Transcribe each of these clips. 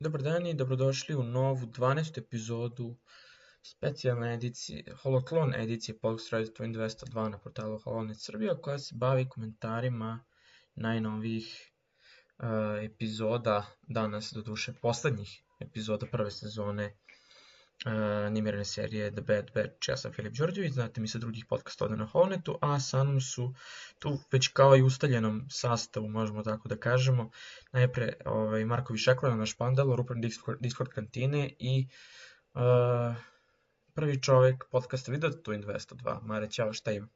Dobar dan i dobrodošli u novu 12. epizodu specijalne edicije, Holoklon edicije Podcast Radio 202 na portalu Holonet Srbija, koja se bavi komentarima najnovijih epizoda, danas doduše poslednjih epizoda prve sezone animirane serije The Bad Batch. Ja sam Filip Đorđević, znate mi sa drugih podcasta ovde na Holonetu, a sa mnom su tu već kao i ustaljenom sastavu, možemo tako da kažemo, najpre Marko Višekova, naš pandalor, upravnik Discord kantine i prvi čovek podcasta Video Twin 202. Mare, ćao, šta ima?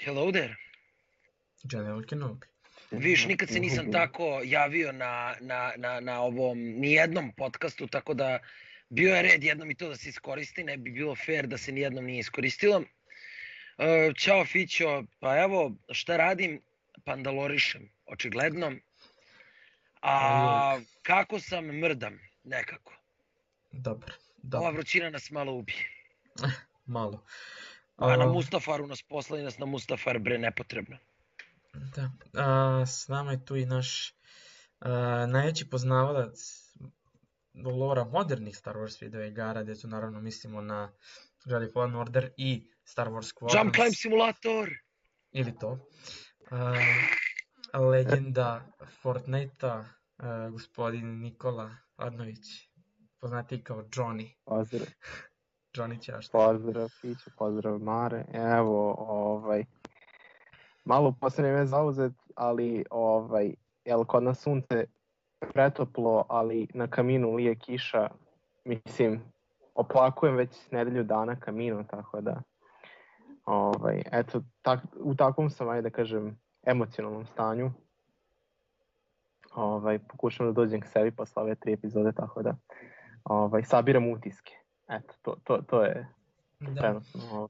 Hello there. General Kenobi. Viš, nikad se nisam tako javio na ovom nijednom podcastu, tako da bio je red jednom i to da se iskoristi, ne bi bilo fair da se nijednom nije iskoristilo. Ćao Fićo, pa evo šta radim, pandalorišem, očigledno. A kako sam, mrdam, nekako. Dobro. Ova vrućina nas malo ubije. Malo. A na Mustafaru nas poslali nas na Mustafar, bre, nepotrebno. Da, s nama je tu i naš najveći poznavalac lora modernih Star Wars video igara, gde tu naravno mislimo na Jedi Fallen Order i Star Wars Squadrons. Jump Climb Simulator! Ili to. Legenda Fortnite-a, gospodin Nikola Adnović, poznatiji kao Johnny. Pozdrav. Johnny Ćašta. Pozdrav Fiću, pozdrav Mare. Evo, malo posljednje vreme zauzet, ali jel kod nas sunce pretoplo, ali na kaminu lije kiša, mislim, oplakujem već nedelju dana kaminu, tako da, eto, u takvom sam, ajde da kažem, emocionalnom stanju. Pokušam da dođem k sebi posle ove 3 epizode, tako da, sabiram utiske. Eto, to je trenutno.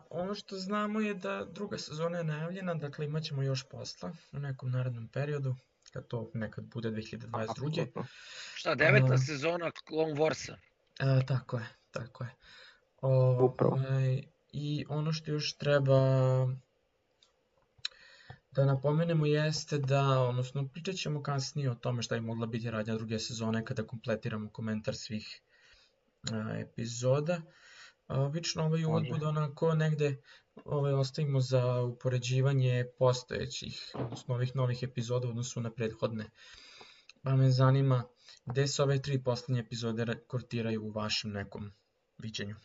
Ono što znamo je da druga sezona je najavljena, dakle imat ćemo još posla u nekom narednom periodu, kad to nekad bude 2022. Šta, 9. sezona Clone Warsa? Tako je. Upravo. I ono što još treba da napomenemo jeste da, odnosno pričat ćemo kasnije o tome šta je mogla biti radnja druge sezone kada kompletiramo komentar svih epizoda. Obično ovaj uvod bude onako negde ostavimo za upoređivanje postojećih, odnosno ovih novih epizoda u odnosu na prethodne. Pa me zanima gde se ove 3 poslednje epizode kortiraju u vašem nekom viđenju.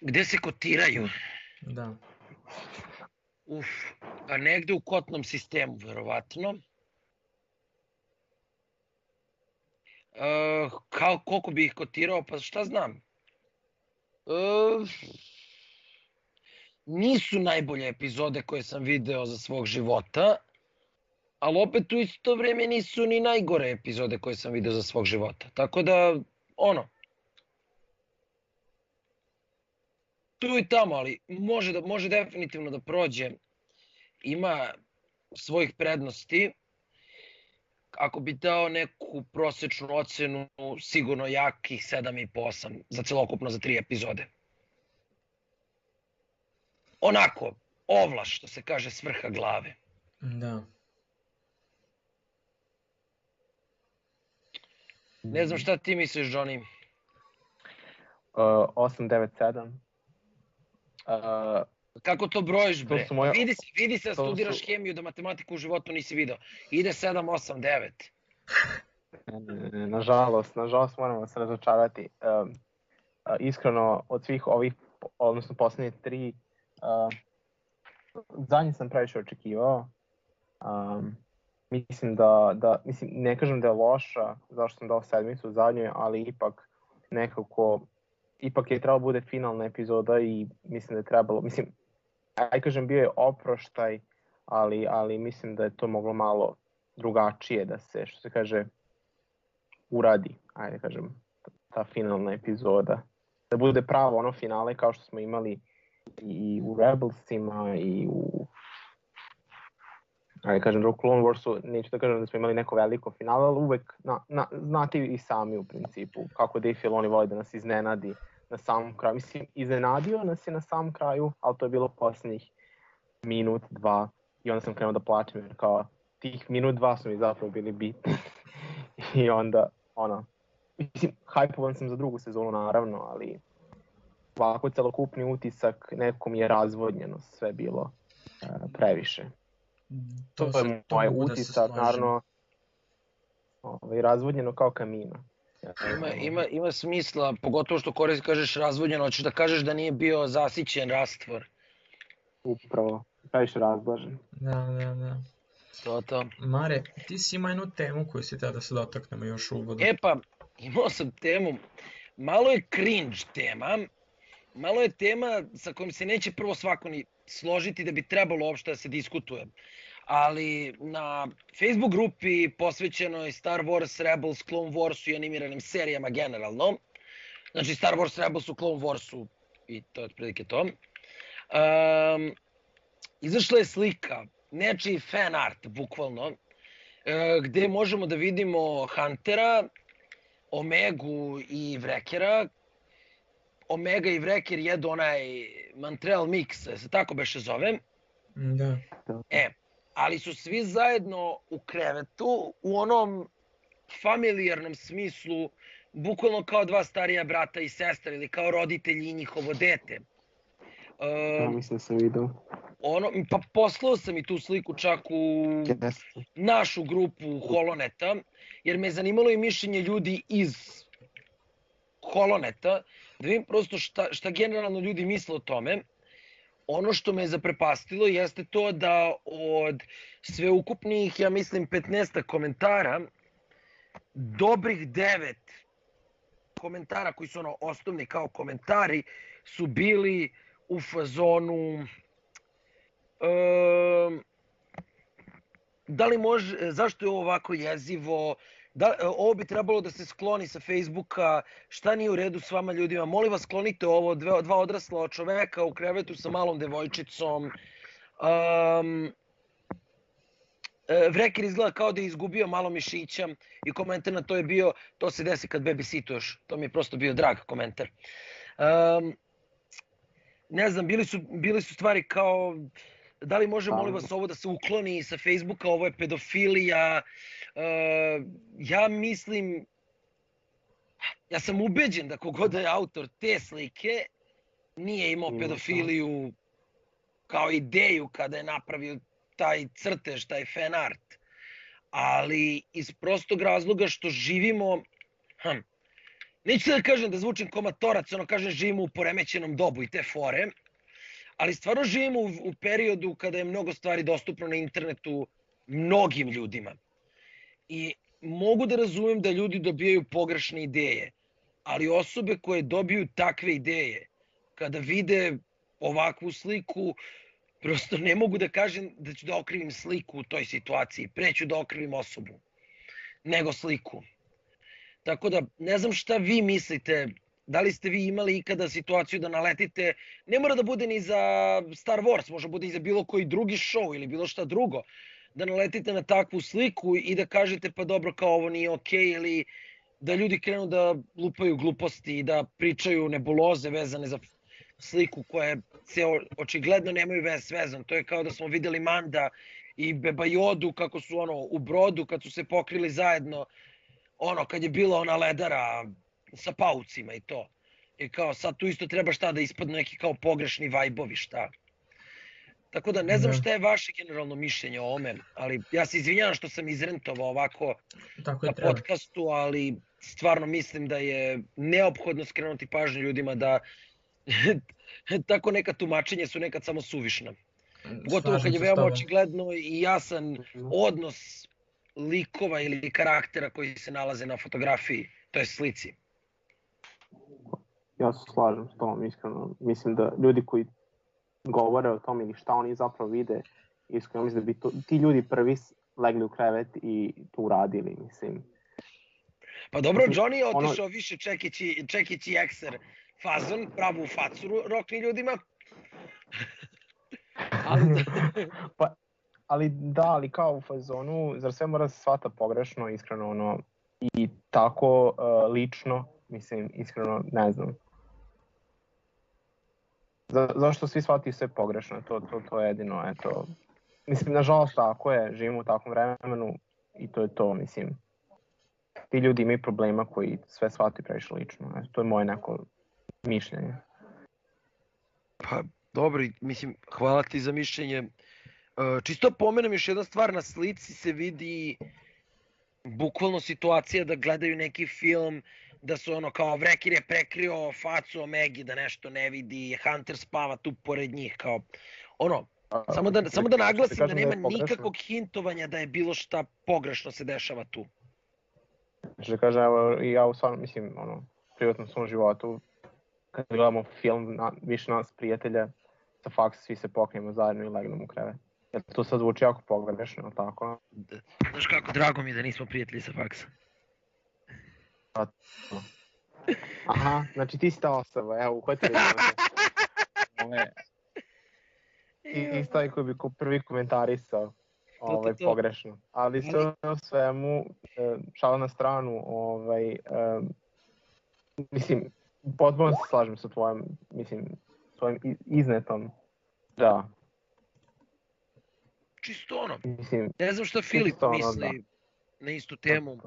Gde se kotiraju? Da. Pa negde u kotnom sistemu, verovatno. Koliko bi ih kotirao, pa šta znam. Nisu najbolje epizode koje sam video za svog života, ali opet u isto vreme nisu ni najgore epizode koje sam video za svog života. Tako da, tu i tamo, ali može definitivno da prođe. Ima svojih prednosti. Ako bi dao neku prosečnu ocenu, sigurno jakih 7,5-8 za celokupno za 3 epizode. Onako, ovlaš, što se kaže, s vrha glave. Da. Ne znam šta ti misliš, Johnny? 8, 9, 7. Kako to brojiš, bre? Vidi se da studiraš hemiju, da matematiku u životu nisi video. Ide 7, 8, 9. Nažalost moramo se razočarati. Iskreno, od svih ovih, odnosno poslednje 3, zadnji sam previše očekivao. Mislim ne kažem da je loša, zašto sam dao 7 u zadnjoj, ali ipak nekako, ipak je trebalo bude finalna epizoda i mislim da je trebalo, kažem bio je oproštaj, ali mislim da je to moglo malo drugačije da se, što se kaže, uradi, ajde kažem, ta finalna epizoda. Da bude pravo ono finale kao što smo imali i u Rebelsima i u, ajde kažem, u Clone Warsu, neću da kažem da smo imali neko veliko finale, ali uvek, znate i sami u principu, kako Dave Filoni voli da nas iznenadi na samom kraju. Mislim, iznenadio nas je na samom kraju, ali to je bilo posljednjih minut, 2, i onda sam krenuo da plačem, jer kao tih minut, 2 su mi zapravo bili bitni. I onda, mislim, hajpovan sam za drugu sezonu naravno, ali ovako celokupni utisak, nekom je razvodnjeno sve bilo previše. To je moj utisak, naravno, razvodnjeno kao kamina. Ima smisla, pogotovo što kažeš razvodnjeno, hoćeš da kažeš da nije bio zasićen rastvor. Upravo, previše razblažen. Da. To. Mare, ti si ima jednu temu koju si tada se dotaknemo još u uvodu. Imao sam temu, malo je cringe tema, malo je tema sa kojom se neće prvo svako ni složiti da bi trebalo uopšte da se diskutuje. Ali na Facebook grupi posvećenoj Star Wars, Rebels, Clone Warsu i animiranim serijama generalno, znači Star Wars, Rebelsu, Clone Warsu i to je otprilike to, izašla je slika, nečiji fan art, bukvalno, gde možemo da vidimo Huntera, Omegu i Wreckera. Omega i Wrecker jedu onaj Montreal Mix, se tako beše zove. Da. Ali su svi zajedno u krevetu u onom familijarnom smislu, bukvalno kao dva starija brata i sestra ili kao roditelji i njihovo dete. Mislim da sam vidio. Pa poslao sam i tu sliku čak u našu grupu Holoneta, jer me je zanimalo i mišljenje ljudi iz Holoneta, da vidim prosto šta generalno ljudi misle o tome. Ono što me je zaprepastilo jeste to da od sveukupnih, ja mislim, 15 komentara, dobrih 9 komentara koji su osnovni kao komentari su bili u fazonu zašto je ovo ovako jezivo, ovo bi trebalo da se skloni sa Facebooka, šta nije u redu s vama ljudima, molim vas sklonite ovo, dva odrasla čoveka u krevetu sa malom devojčicom. Wrecker izgleda kao da je izgubio malo mišića i komentar na to je bio, to se desi kad babysituješ, to mi je prosto bio drag komentar. Ne znam, bili su stvari kao, da li može molim vas ovo da se ukloni sa Facebooka, ovo je pedofilija. Ja mislim, ja sam ubeđen da kogod je autor te slike nije imao pedofiliju kao ideju kada je napravio taj crtež, taj fan art. Ali iz prostog razloga što živimo, neću se da kažem da zvučim komatorac, kažem živimo u poremećenom dobu i te fore, ali stvarno živimo u periodu kada je mnogo stvari dostupno na internetu mnogim ljudima. I mogu da razumem da ljudi dobijaju pogrešne ideje, ali osobe koje dobiju takve ideje, kada vide ovakvu sliku, prosto ne mogu da kažem da ću da okrivim sliku u toj situaciji, pre ću da okrivim osobu, nego sliku. Tako da, ne znam šta vi mislite, da li ste vi imali ikada situaciju da naletite, ne mora da bude ni za Star Wars, može bude i za bilo koji drugi show ili bilo šta drugo, da naletite na takvu sliku i da kažete pa dobro kao ovo nije okej, ili da ljudi krenu da lupaju gluposti i da pričaju nebuloze vezane za sliku koje se očigledno nemaju veze s vezom. To je kao da smo videli Manda i Beba Jodu kako su u brodu kad su se pokrili zajedno, kad je bila ona ledara sa paucima i to. I kao sad tu isto treba šta da ispadnu neki kao pogrešni vajbovi, šta. Tako da ne znam šta je vaše generalno mišljenje o ome, ali ja se izvinjavam što sam izrentovao ovako na podcastu, ali stvarno mislim da je neophodno skrenuti pažnju ljudima da tako neka tumačenja su nekad samo suvišna. Gotovo kad je veoma očigledno i jasan odnos likova ili karaktera koji se nalaze na fotografiji, to je slici. Ja se slažem s tom, iskreno. Mislim da ljudi koji govore o tom ili šta oni zapravo vide, iskreno mislim da bi ti ljudi prvi legli u krevet i to uradili, mislim. Pa dobro, Johnny je otišao više čekići ekser fazon, pravu facu rokni ljudima. Ali kao u fazonu, zar sve mora se shvata pogrešno, iskreno, i tako lično, mislim, iskreno, ne znam. Zašto svi shvataju sve pogrešno, to je jedino, eto. Mislim, nažalost, tako je, živimo u takvom vremenu i to je to, mislim. ti ljudi imaju problema koji sve shvataju previše lično. To je moje neko mišljenje. Pa dobro, mislim, hvala ti za mišljenje. Čisto pomenem još jedna stvar, na slici se vidi bukvalno situacija da gledaju neki film, da su ono kao Vrekir je prekrio facu Omegi da nešto ne vidi, Hunter spava tu pored njih, kao ono, samo da naglasim da nema nikakvog hintovanja da je bilo šta pogrešno se dešava tu. Znači da kažem, evo, ja u stvarno, mislim, ono, privatnom svom životu, kad gledamo film, više nas prijatelja sa faksa, svi se pokrijemo zajedno i legnemo u krevet. Jer to sad zvuči jako pogrešno, tako? Znaš kako, drago mi je da nismo prijatelji sa faksa. Aha, znači ti si ta osoba, evo, uhvatili smo se. Ti taj koji bi prvi komentarisao pogrešno. Ali sve o svemu, šala na stranu, mislim, potpuno se slažem sa tvojim iznetom, da. Čisto ono, ne znam šta Filip misli na istu temu.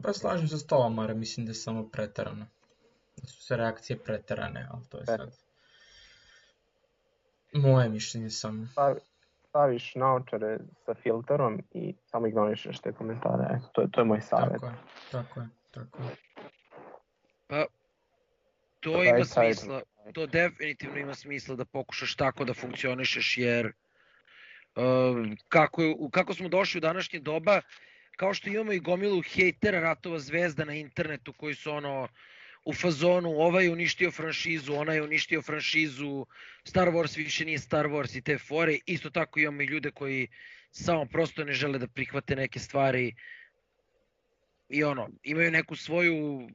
Pa slažem se s tobom, Mara, mislim da je samo preterano. Da su se reakcije preterane, ali to je sad moje mišljenje samo. Staviš naočare sa filterom i samo ignorišeš te komentare, to je moj savjet. Tako je. Pa, to ima smisla, to definitivno ima smisla da pokušaš tako da funkcionišeš, jer kako smo došli u današnje doba, kao što imamo i gomilu hejtera Ratova zvezda na internetu koji su ono u fazonu ovaj je uništio franšizu, onaj je uništio franšizu, Star Wars više nije Star Wars i te fore. Isto tako imamo i ljude koji samo prosto ne žele da prihvate neke stvari i ono, imaju neku svoju,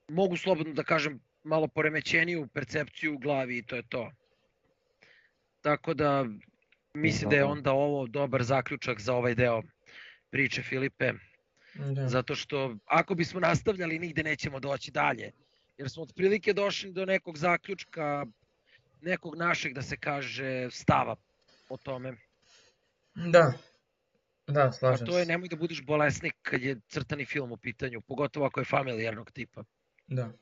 mogu slobodno da kažem, malo poremećeniju percepciju u glavi i to je to. Tako da mislim da je onda ovo dobar zaključak za ovaj deo priče, Filipe. Zato što ako bismo nastavljali nigde nećemo doći dalje. Jer smo otprilike došli do nekog zaključka, nekog našeg da se kaže stava o tome. Da, slažem se. A to je nemoj da budiš bolesnik kad je crtani film u pitanju, pogotovo ako je familijarnog tipa. Da.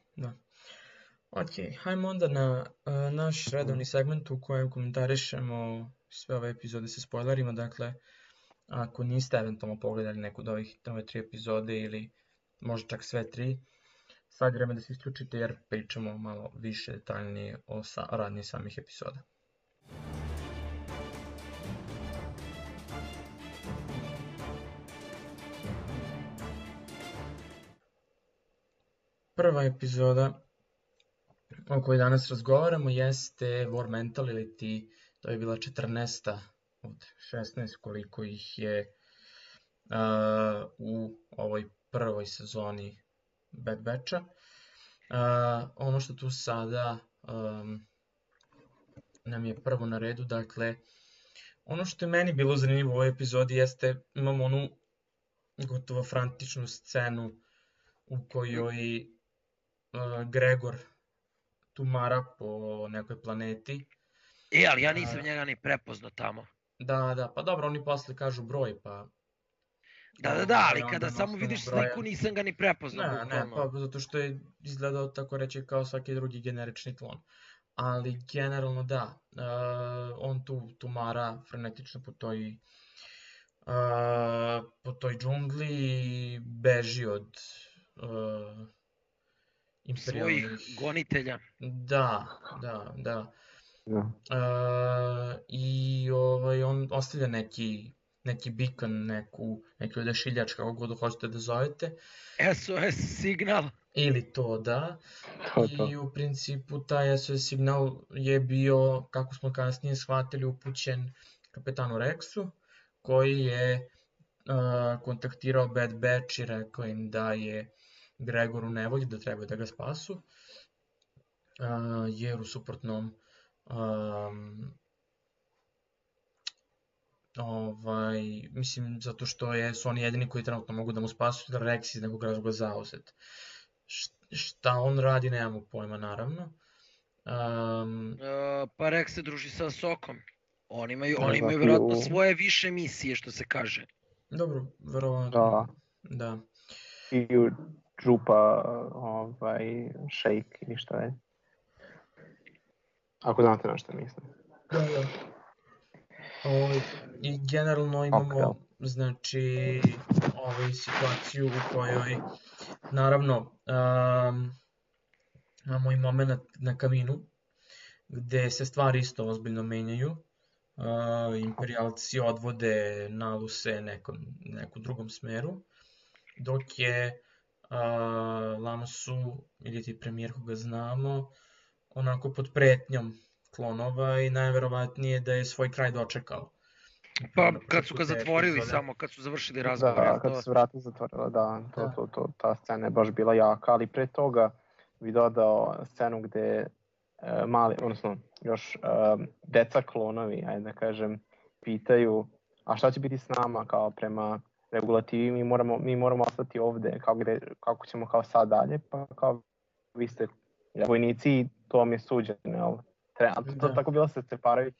Ok, hajmo onda na naš redovni segment u kojem komentarišemo sve ove epizode sa spoilerima. Dakle, ako niste eventualno pogledali neku od ove 3 epizode ili možda čak sve 3, sad je vreme da se isključite jer pričamo malo više detaljnije o radnji samih epizoda. Prva epizoda o kojoj danas razgovaramo jeste War Mental, ili to je bila 14. od 16 koliko ih je u ovoj prvoj sezoni Bad Batcha. Ono što tu sada nam je prvo na redu, dakle, ono što je meni bilo zanimljivo u ovoj epizodi jeste, imamo onu gotovo frantičnu scenu u kojoj Gregor tumara po nekoj planeti. Ali ja nisam njega ni prepoznao tamo. Da, pa dobro, oni posle kažu broj, pa... Da, ali kada samo vidiš sliku nisam ga ni prepoznao. Ne, pa zato što je izgledao tako reći kao svaki drugi generični klon. Ali generalno da, on tu tumara frenetično po toj džungli i beži od imperialnih... svojih gonitelja. Da. I on ostavlja neki beacon, neki odašiljač, kako god hoćete da zovete. SOS signal. Ili to, da. I u principu taj SOS signal je bio, kako smo kasnije shvatili, upućen kapetanu Rexu, koji je kontaktirao Bad Batch i rekao im da je Gregor u nevolji, da treba da ga spasu, jer u suprotnom mislim, zato što su oni jedini koji trenutno mogu da mu spasu, da Rex iz nekog razloga zauzet. Šta on radi, nemamo pojma, naravno. Pa Rex se druži sa Sokom. Oni imaju vjerojatno svoje više misije, što se kaže. Dobro, verovatno. Da. piju džupa shake ili šta je. Ako znate na što mislim. Da. I generalno imamo znači situaciju u kojoj naravno imamo i moment na kaminu gde se stvari isto ozbiljno menjaju. Imperijalci odvode Naluse nekom drugom smeru, dok je Lamosu, ili ti premijer koga znamo, onako pod pretnjom klonova i najverovatnije da je svoj kraj dočekao. Pa kad su ga zatvorili samo, kad su završili razgovor. Da, kad su vrata zatvorila, da, ta scena je baš bila jaka, ali pre toga bi dodao scenu gde mali, odnosno još deca klonovi, ajde da kažem, pitaju a šta će biti s nama kao prema regulativi, mi moramo ostati ovde, kako ćemo kao sad dalje, pa kao vi ste vojnici, to vam je suđeno, to tako bilo se separaju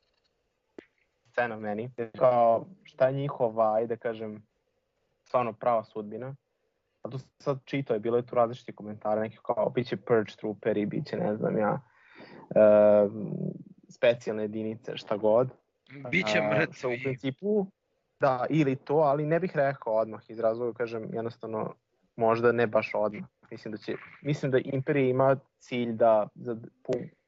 scena meni, kao šta je njihova, ajde kažem, stvarno prava sudbina. A tu sad čitao je, bilo je tu različiti komentari, neki kao, bit će purge trooperi, bit će, ne znam ja, specijalne jedinice, šta god. Biće mrtvi. U principu, da, ili to, ali ne bih rekao odmah iz razloga, kažem, jednostavno, možda ne baš odmah. Mislim da Imperija ima cilj da,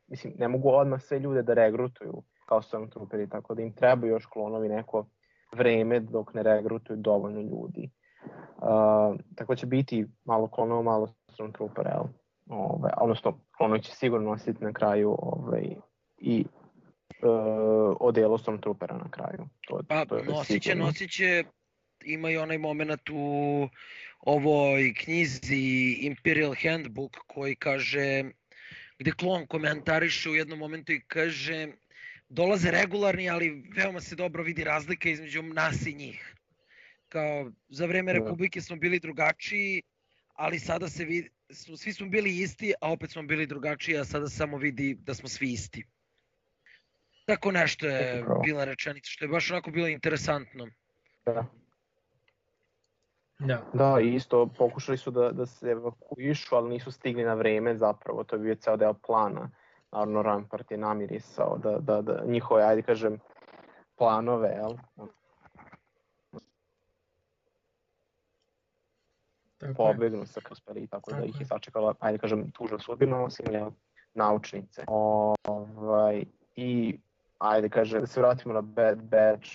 mislim, ne mogu odmah sve ljude da regrutuju kao Stormtrooperi, tako da im treba još klonovi neko vreme dok ne regrutuju dovoljno ljudi. Tako će biti malo klonova, malo Stormtroopera, odnosno klonovi će sigurno nositi na kraju i odelo Stormtroopera na kraju. Nosit će, ima i onaj moment u ovoj knjizi Imperial Handbook koji kaže, gde klon komentariše u jednom momentu i kaže dolaze regularni, ali veoma se dobro vidi razlika između nas i njih. Kao, za vreme Republike smo bili drugačiji, ali sada se vidi, svi smo bili isti, a opet smo bili drugačiji, a sada samo vidi da smo svi isti. Tako nešto je bila rečenica, što je baš onako bilo interesantno. Da, i isto pokušali su da se evakuišu, ali nisu stigli na vreme zapravo, to je bio ceo deo plana. Naravno, Rampart je namirisao da njihove, ajde kažem, planove, jel? Pobegnu sa Kasperi, tako da ih je sačekala, ajde kažem, tužna sudbina, osim naučnice. I, ajde kažem, da se vratimo na Bad Batch,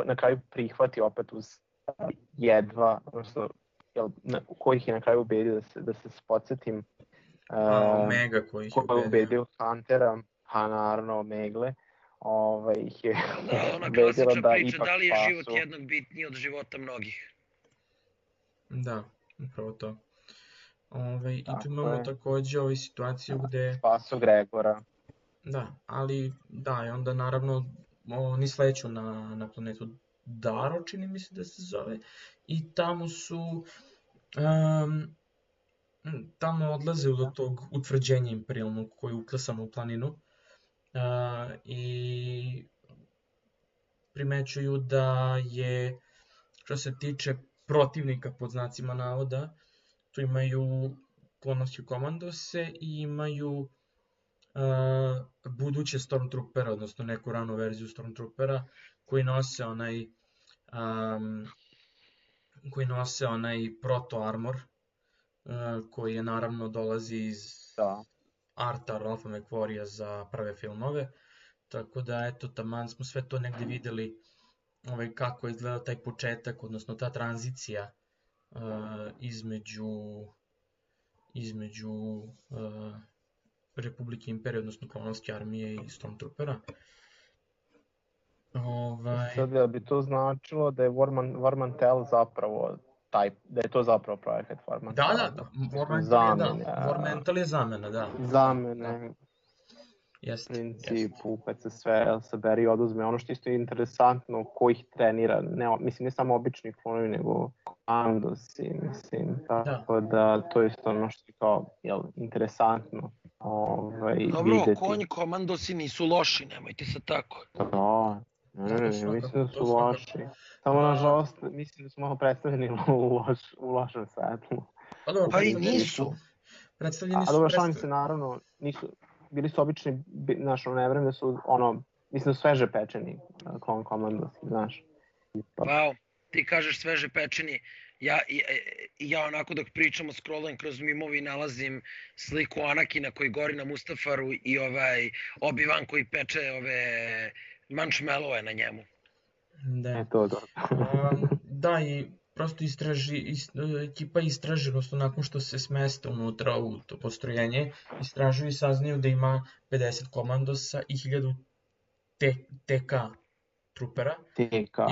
na kraju prihvati opet uz jedva, odnosno, kojih je na kraju ubedio da se podsjetim. Omega koji ih je ubedio Huntera, naravno Omegle, ih je ona klasična priča, da li je život jednog bitniji od života mnogih. Da, upravo to. I tu imamo takođe situaciju gde... Spaso Gregora. Da, ali da, i onda naravno oni sleću na planetu Daro, čini mi se da se zove, i tamo su... Tamo odlaze do tog utvrđenja imperijalnog koje je uklesano u planinu i primećuju da je, što se tiče protivnika pod znacima navoda, tu imaju klonovske komandose i imaju buduće Stormtroopera, odnosno neku ranu verziju Stormtroopera koji nose onaj proto-armor, koji je naravno dolazi iz arta Ralpha McQuarria za prve filmove, tako da eto, taman smo sve to negde videli kako je izgledao taj početak, odnosno ta tranzicija između Republike Imperije, odnosno klonovske armije i Stormtroopera. Sad bi to značilo da je War Mantel zapravo da je to zapravo projekat War Mantel. Da, War Mantel je zamena, da. Zamene, u principu, kad se sve saberi i oduzme. Ono što isto je interesantno, ko ih trenira, mislim ne samo obični klonovi, nego komandosi, mislim, tako da to je isto ono što je kao, interesantno videti. Dobro, konji komandosi nisu loši, nemojte se tako. Da, mislim da su loši. Samo nažalost, mislim da su malo predstavljeni u lošem svetlu. Pa i nisu. Predstavljeni su. A dobro, šalim se, naravno, bili su obični, znaš, ne vrem da su, mislim da su sveže pečeni Clone Commandos, znaš. Wow, ti kažeš sveže pečeni. Ja onako dok pričamo scrollujem kroz mimovi nalazim sliku Anakina koji gori na Mustafaru i Obi-Wan koji peče ove marshmallowe na njemu. Da. To. Da, i prosto ekipa istraži, odnosno nakon što se smeste unutra u to postrojenje, istražuju i saznaju da ima 50 komandosa i 1000 TK trupera,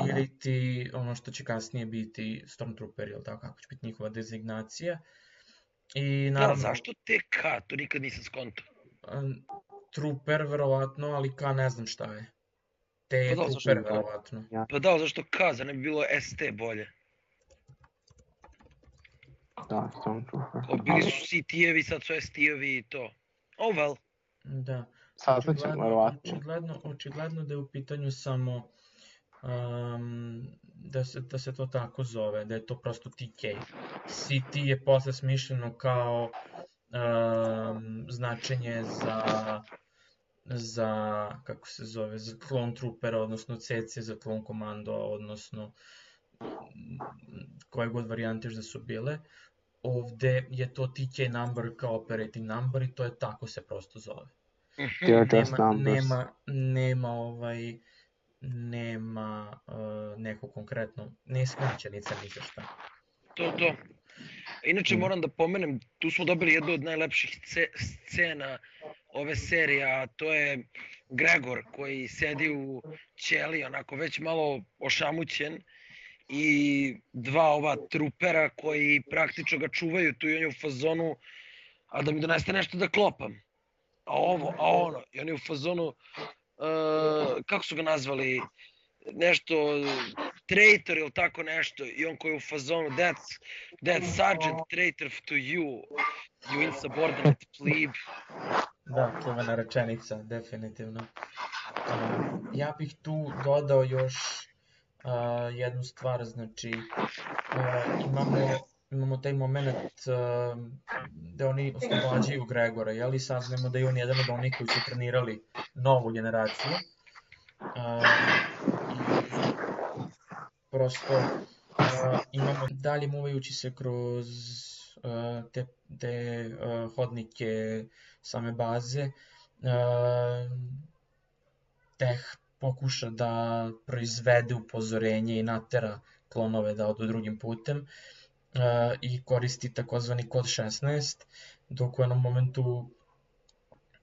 ili ti ono što će kasnije biti Stormtrooperi, ili tako, kako će biti njihova dezignacija. I naravno... Da, zašto TK? To nikad nisam skonto. Trooper, verovatno, ali K ne znam šta je. T je Trooper, verovatno. Pa da, zašto K? Za ne bi bilo ST bolje. Da, Stormtrooper. Bili su CT-evi, sad su ST-evi i to. Oh well. Da. Očigledno da je u pitanju samo da se to tako zove, da je to prosto TK. CT je posle smišljeno kao značenje za kako se zove, za Clone Troopera, odnosno CC za Clone Commando, odnosno koje god varijante da su bile. Ovde je to TK number kao operating number i to je tako se prosto zove. Nema neko konkretno, ne skraćenica ni za šta. To. Inače moram da pomenem, tu smo dobili jednu od najlepših scena ove serije, a to je Gregor koji sedi u ćeliji, onako već malo ošamućen, i dva ova trupera koji praktično ga čuvaju tu i on je u fazonu, a da mi doneste nešto da klopam. A ono, i on je u fazonu, kako su ga nazvali, nešto, traitor ili tako nešto, i on koji je u fazonu, that's sergeant traitor to you insubordinate plebe. Da, čuvena rečenica, definitivno. Ja bih tu dodao još jednu stvar, znači imamo taj moment da oni oslobađaju Gregora, jel, i saznamo da je on jedan od onih koji su trenirali novu generaciju. Prosto imamo dalje muvajući se kroz te hodnike same baze, Teh pokuša da proizvede upozorenje i natera klonove da odu drugim putem i koristi takozvani kod 16, dok u jednom momentu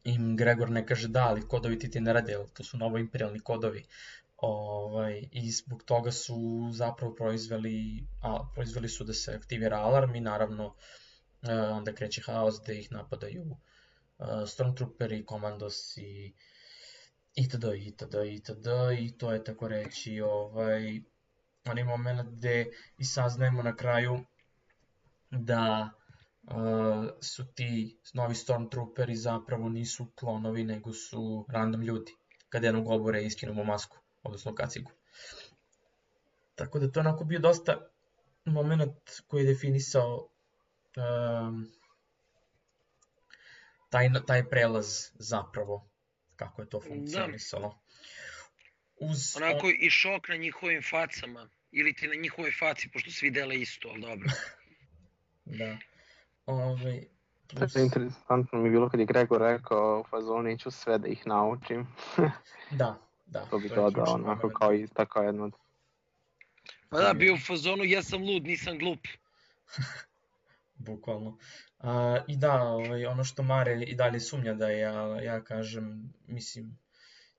im Gregor ne kaže da, ali kodovi ti ne rade, to su novoimperijalni kodovi. I zbog toga su zapravo proizveli su da se aktivira alarm i naravno onda kreće haos da ih napadaju Stormtrooperi, Commandos i itd. I to je tako reći onaj moment gde i saznajemo na kraju da su ti novi Stormtrooperi zapravo nisu klonovi, nego su random ljudi. Kada jednog obore iskinemo masku, odnosno kacigu. Tako da to onako bio dosta moment koji je definisao taj prelaz zapravo, kako je to funkcionisalo. Onako i šok na njihovim facama, ili ti na njihovoj faci, pošto svi dele isto, ali dobro. Da. Interesantno mi je bilo kad je Gregor rekao u fazonu ću sve da ih naučim. Da. To bi dodao onako kao i tako jedno. Pa da, bio u fazonu jesam lud, nisam glup. Bukvalno. I da, ono što Mare i dalje sumnja da je, ja kažem,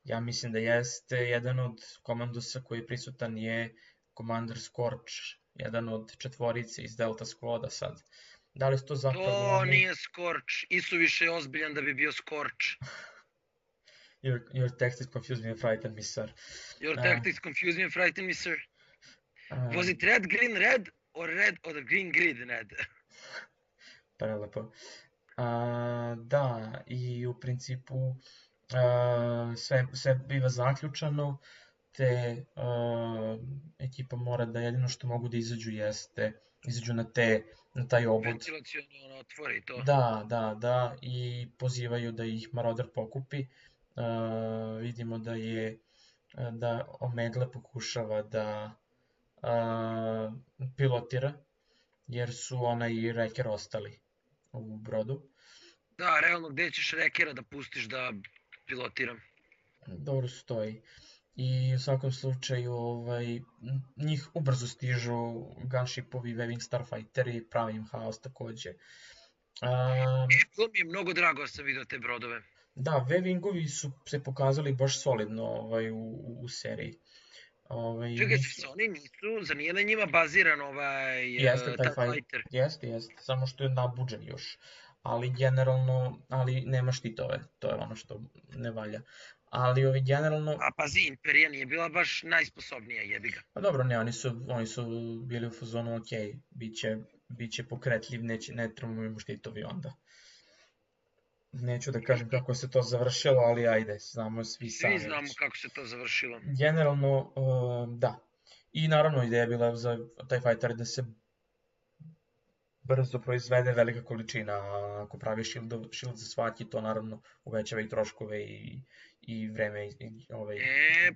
ja mislim da jeste, jedan od komandosa koji je prisutan je Commander Scorch, jedan od četvorice iz Delta Squada sad. Da li to zapravo... To nije Scorch, Isuviše je ozbiljan da bi bio Scorch. Your tactics confuse me and frighten me, sir. Your tactics confuse me and frighten me, sir. Was it red, green, red, or green, green, red? Prelepo. Da, i u principu sve biva zaključano, te ekipa mora da jedino što mogu da izađu jeste, izađu na taj obod. Ventilaciono otvori to. Da, i pozivaju da ih Marauder pokupi. Vidimo da Omegle pokušava da pilotira, jer su ona i Wrecker ostali u brodu. Da, realno gde ćeš Wreckera da pustiš da pilotiram? Dobro stoji. I u svakom slučaju njih ubrzo stižu gunshipovi, Waving Starfighteri, pravi im haos takođe. To mi je mnogo drago da sam vidio te brodove. Da, Wavingovi su se pokazali baš solidno u seriji. Čekaj, oni nisu, zar nije na njima baziran TIE Fighter? Jeste, samo što je nabuđen još. Ali generalno, nema štitove, to je ono što ne valja. Ali generalno... A pazi, Imperija nije bila baš najsposobnija, jebi ga. Pa dobro, ne, oni su bili u fazonu, ok, bit će pokretljiv, ne trebamo imamo štitovi onda. Neću da kažem kako se to završilo, ali ajde, znamo svi sami. Svi znamo kako se to završilo. Generalno, da. I naravno ideja je bila za TIE Fighter da se brzo proizvede velika količina. Ako pravi shield za svaki, to naravno uvećava i troškove i vreme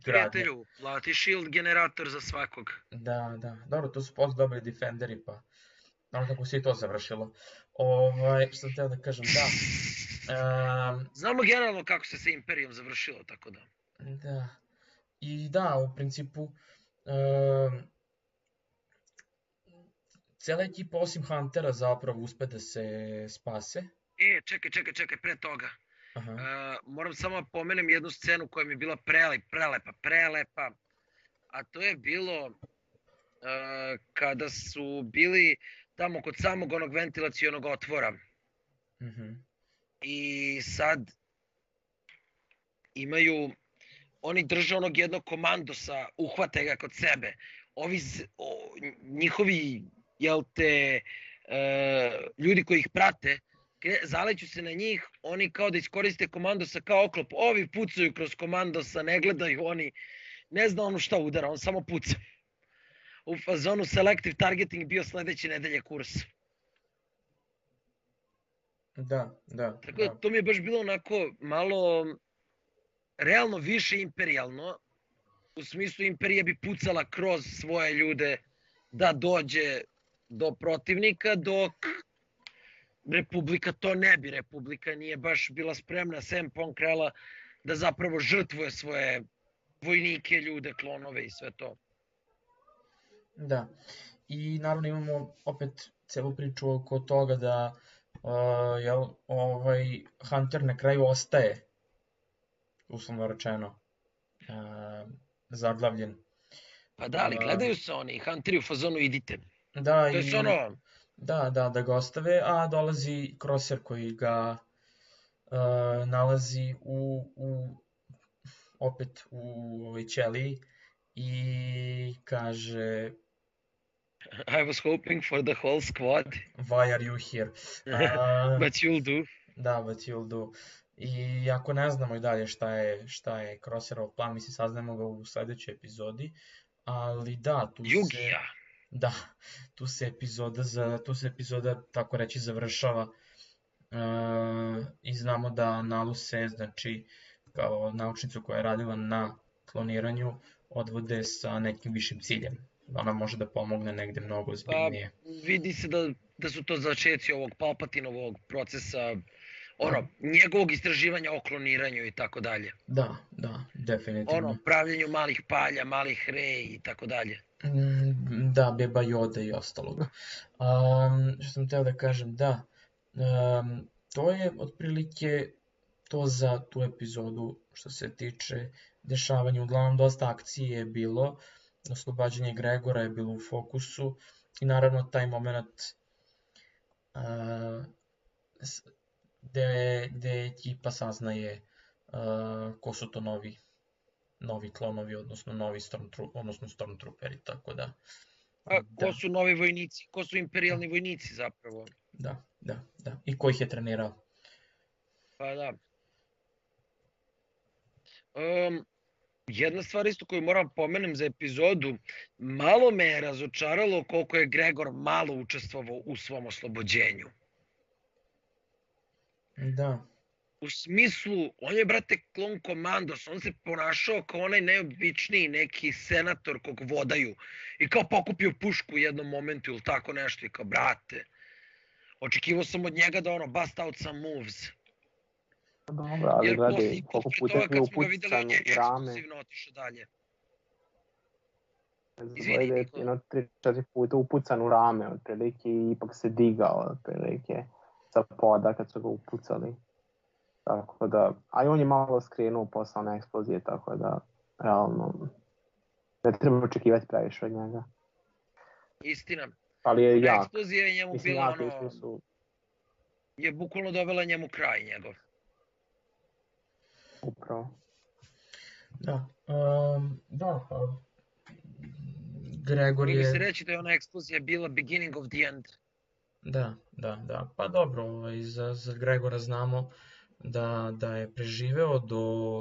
prijatelju, plati shield generator za svakog. Da. Dobro, to su posto dobri defenderi, pa znam kako se i to završilo. Što sam htio da kažem, da. Znamo generalno kako se sa Imperijom završilo, tako da. Da. I da, u principu, cijela ekipa osim Huntera zapravo uspe da se spase. Čekaj, pre toga. Moram samo da pomenem jednu scenu koja mi je bila prelepa. A to je bilo kada su bili tamo kod samog onog ventilacionog otvora. I sad oni drže onog jednog komandosa, uhvate ga kod sebe. Njihovi, ljudi koji ih prate, zaleću se na njih, oni kao da iskoriste komandosa kao oklop. Ovi pucaju kroz komandosa, ne gledaju oni, ne zna ono šta udara, on samo puca. U fazonu selective targeting bio sledeće nedelje kurs. Da. Tako da to mi je baš bilo onako malo realno više imperijalno. U smislu Imperija bi pucala kroz svoje ljude da dođe do protivnika, dok Republika to ne bi. Republika nije baš bila spremna, sem Ponkrela, da zapravo žrtvuje svoje vojnike, ljude, klonove i sve to. Da. I naravno imamo opet celu priču oko toga da Hunter na kraju ostaje, uslovno rečeno, zaglavljen. Pa da, ali gledaju se oni, Hunteri u fazonu idite. Da, to je ono... Da ga ostave, a dolazi Crosser koji ga nalazi opet u ovoj ćeliji i kaže... I was hoping for the whole squad. Why are you here? But you'll do. Da, but you'll do. I ako ne znamo i dalje šta je Crosserov plan, mislim saznamo ga u sledećoj epizodi, ali da, tu se epizoda tako reći završava i znamo da Naluse, znači kao naučnicu koja je radila na kloniranju, odvode sa nekim višim ciljem. Ona može da pomogne negde mnogo ozbiljnije. Pa vidi se da su to začeci ovog Palpatinovog procesa, njegovog istraživanja o kloniranju i tako dalje. Da, definitivno. Pravljenju malih palja, malih rej i tako dalje. Da, Beba Yoda i ostalog. Što sam teo da kažem, da, to je otprilike to za tu epizodu što se tiče dešavanja. Uglavnom, dosta akcije je bilo, oslobađanje Gregora je bilo u fokusu i naravno taj moment gde ekipa saznaje ko su to novi klonovi, odnosno novi Stormtrooperi, tako da... Ko su novi vojnici, ko su imperijalni vojnici zapravo. Da. I ko ih je trenirao? Pa da. Jedna stvar isto koju moram pomenem za epizodu, malo me je razočaralo koliko je Gregor malo učestvovao u svom oslobođenju. Da. U smislu, on je, brate, klon komandos, on se ponašao kao onaj neobičniji neki senator kog vodaju i kao pokupio pušku u jednom momentu ili tako nešto i kao, brate, očekivao sam od njega da ono bust out some moves. Dobro, ali Jer gledaj, koliko puta je bio kad smo ga videli, on upucan je u rame. ekskluzivno otišao dalje. Izvini, jedno 3-4 puta upucan u rame, otprilike, i ipak se digao, otprilike, sa poda kad su ga upucali. Tako da, a i on je malo skrenuo posle one eksplozije, tako da, realno, ne treba očekivati previše od njega. Istina. Ali je jak. Eksplozija je njemu Mislim, bila jak u ono, smislu, je bukvalno dovela njemu kraj njegov. upravo. Da. Da, Gregor Mogli bi se je... reći da je ona eksplozija bila beginning of the end. Da. Pa dobro, za Gregora znamo da je preživeo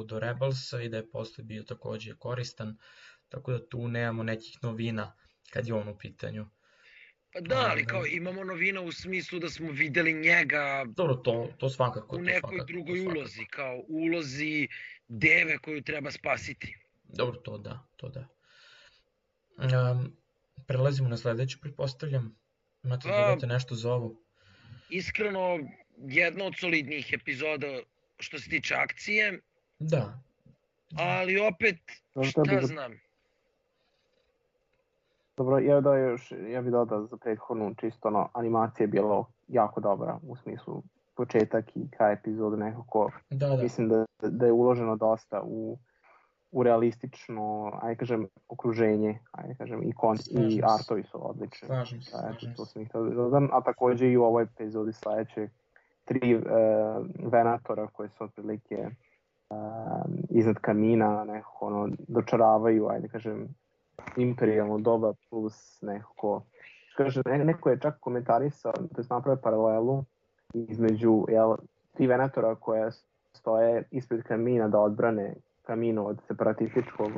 do Rebelsa i da je posle bio takođe koristan, tako da tu nemamo nekih novina kad je on u pitanju. Pa da, ali kao imamo novina u smislu da smo videli njega Dobro, to svakako. u nekoj drugoj ulozi, kao u ulozi deve koju treba spasiti. Dobro, to da. Prelazimo na sledeću, pretpostavljam. Imate da dodate nešto za ovo? Iskreno, jedna od solidnijih epizoda što se tiče akcije. Da. Ali opet, šta znam. Dobro, ja bih dodao za prethodnu, čisto animacija je bila jako dobra, u smislu početak i kraj epizode nekako. Da. Mislim da je uloženo dosta u realistično, ajde kažem, okruženje, ajde kažem, i artovi su odlični. Slažem se. To sam ih dodam, a takođe i u ovoj epizodi sledeće 3 venatora koje su otprilike iznad kamina, nekako dočaravaju, ajde kažem, imperijalno doba plus nekako, kaže, neko je čak komentarisao, to je napravio paralelu između 3 venatora koje stoje ispred kamina da odbrane kamino od separatističkog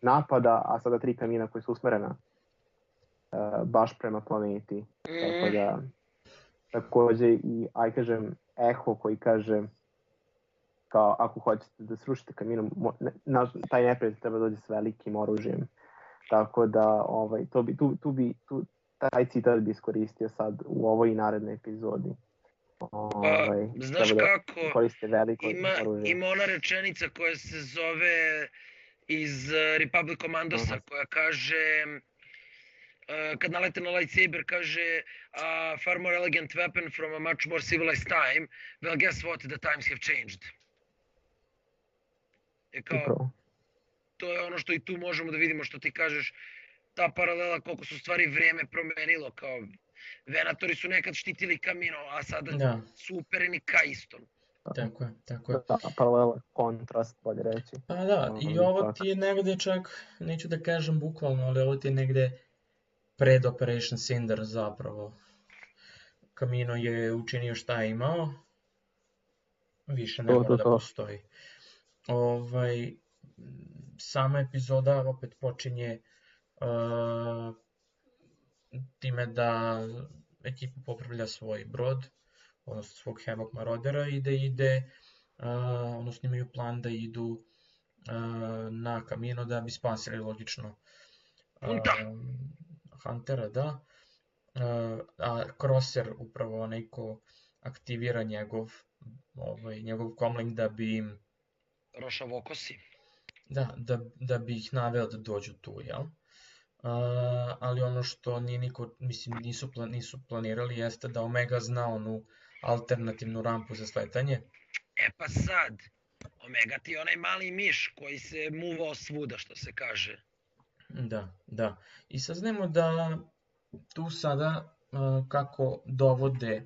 napada, a sada 3 kamina koje su usmerena baš prema planeti. Tako da, takođe i, aj kažem, eho koji kaže kao ako hoćete da srušite kaminom, taj neprijatelj treba dođe s velikim oružjem. Tako da taj citat bi iskoristio sad u ovoj narednoj epizodi. Znaš kako, koriste veliko oružje. Ima ona rečenica koja se zove iz Republic Commandosa, koja kaže, kad nalete na lightsaber, kaže far more elegant weapon from a much more civilized time. Well, guess what, the times have changed. Kao, to je ono što i tu možemo da vidimo, što ti kažeš, ta paralela koliko su stvari vrijeme promenilo, kao venatori su nekad štitili kamino, a sada su upereni ka istom. Tako je. Da, paralela, kontrast, bolje reći. Pa da, i ovo ti je negde čak, neću da kažem bukvalno, ali ovo ti je negde pred Operation Cinder zapravo. Kamino je učinio šta je imao, više ne mora da postoji. Sama epizoda opet počinje time da ekipa popravlja svoj brod, odnosno svog Havoc Maraudera i da ide, odnosno imaju plan da idu na Kamino da bi spasili logično Huntera, da. A Crosser upravo onaj ko aktivira njegov comlink da bi im Rošavokosi. Da bi ih naveo da dođu tu, jel? Ali ono što nisu planirali jeste da Omega zna onu alternativnu rampu za sletanje. Pa sad, Omega ti je onaj mali miš koji se muvao svuda, što se kaže. Da. I saznajemo da tu sada kako dovode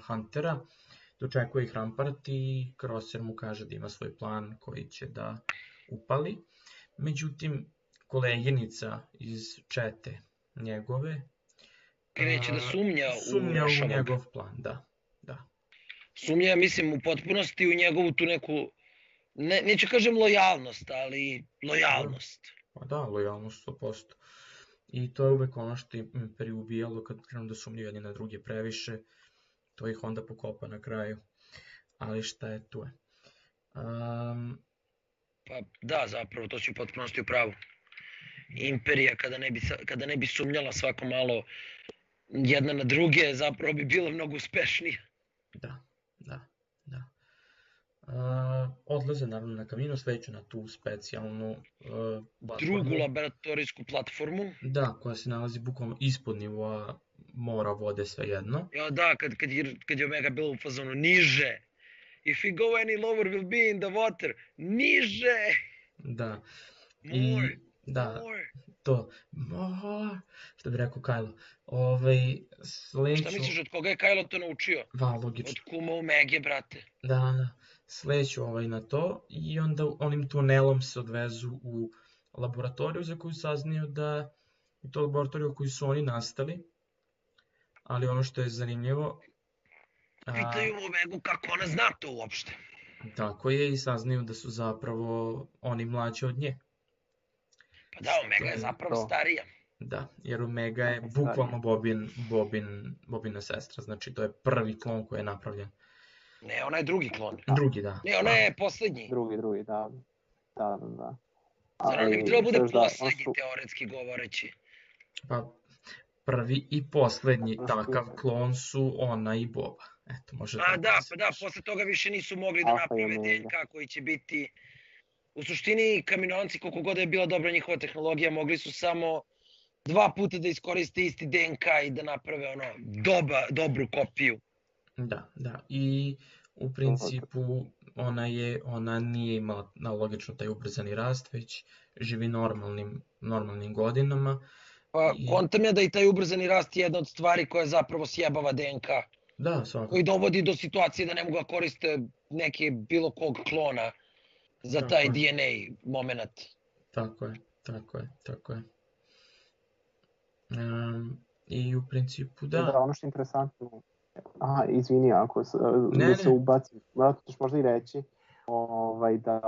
Huntera, dočekuje ih Rampart i Crosser mu kaže da ima svoj plan koji će da upali. Međutim, koleginica iz čete njegove kreće da sumnja u njegov plan, da. Sumnja, mislim, u potpunosti u njegovu tu neku neću kažem lojalnost, ali lojalnost. Pa da, lojalnost 100%. I to je uvek ono što Imperiju ubijalo kad krenu da sumnju jedni na druge previše, to ih onda pokopa na kraju. Ali šta je, tu je. Pa da, zapravo, to si u potpunosti u pravu. Imperija, kada ne bi sumnjala svako malo jedna na druge, zapravo bi bila mnogo uspešnija. Da. Odlaze naravno na Kamino, sveću na tu specijalnu platformu. Drugu laboratorijsku platformu. Da, koja se nalazi bukvalno ispod nivoa mora, vode, svejedno. Ja, da, kad je Omega bilo u fazonu niže. If we go any lower, we'll be in the water. Niže! Da. More. Da, More. to. More. Što bi rekao Kylo. Šta misliš, od koga je Kylo to naučio? Da, logično. Od kuma Omege, brate. Da. Sleću na to i onda onim tunelom se odvezu u laboratoriju za koju saznaju da je to laboratorija u koju su oni nastali. Ali ono što je zanimljivo... Pitaju Omegu kako ona zna to uopšte. Tako je, i saznaju da su zapravo oni mlađi od nje. Pa da, Omega je zapravo starija. Da, jer Omega je bukvalno Bobina sestra, znači to je prvi klon koji je napravljen. Ne, ona je drugi klon. Drugi, da. Ne, ona je poslednji. Drugi, da. Zar ona ne bi trebalo bude poslednji, teoretski govoreći? Pa, prvi i poslednji takav klon su ona i Boba. Eto, može da. Da, posle toga više nisu mogli da naprave DNK koji će biti... U suštini, Kaminoanci, koliko god je bila dobra njihova tehnologija, mogli su samo 2 puta da iskoriste isti DNK i da naprave dobru kopiju. Da, i u principu ona nije imala logično taj ubrzani rast, već živi normalnim godinama. Pa kontam je da i taj ubrzani rast je jedna od stvari koja zapravo sjebava DNK. Da, svakako. Koji dovodi do situacije da ne mogu da koriste neke bilo kog klona za taj DNA moment. Tako je. I u principu da. Da, ono što je interesantno, izvini ako se ubacim, vratno ćeš možda i reći da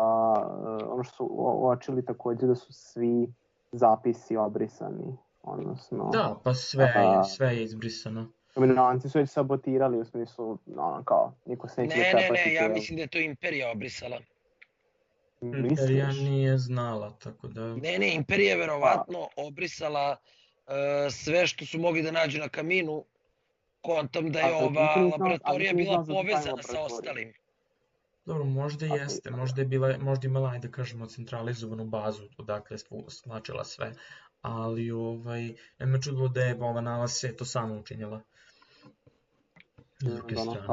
ono što su uočili takođe da su svi zapisi obrisani, odnosno... Da, pa sve je izbrisano. Kaminoanci su već sabotirali u smislu, kao, niko se neće prepatiti. Ne, ja mislim da je to Imperija obrisala. Imperija nije znala, tako da... Ne, Imperija je verovatno obrisala sve što su mogli da nađu na Kaminu, kontom da je ova laboratorija bila povezana sa ostalim. Dobro, možda jeste, možda imala, ajde da kažemo, centralizovanu bazu odakle je slačila sve, ali ne me čudilo da je ova nalaz to samo učinjela. S druge strane.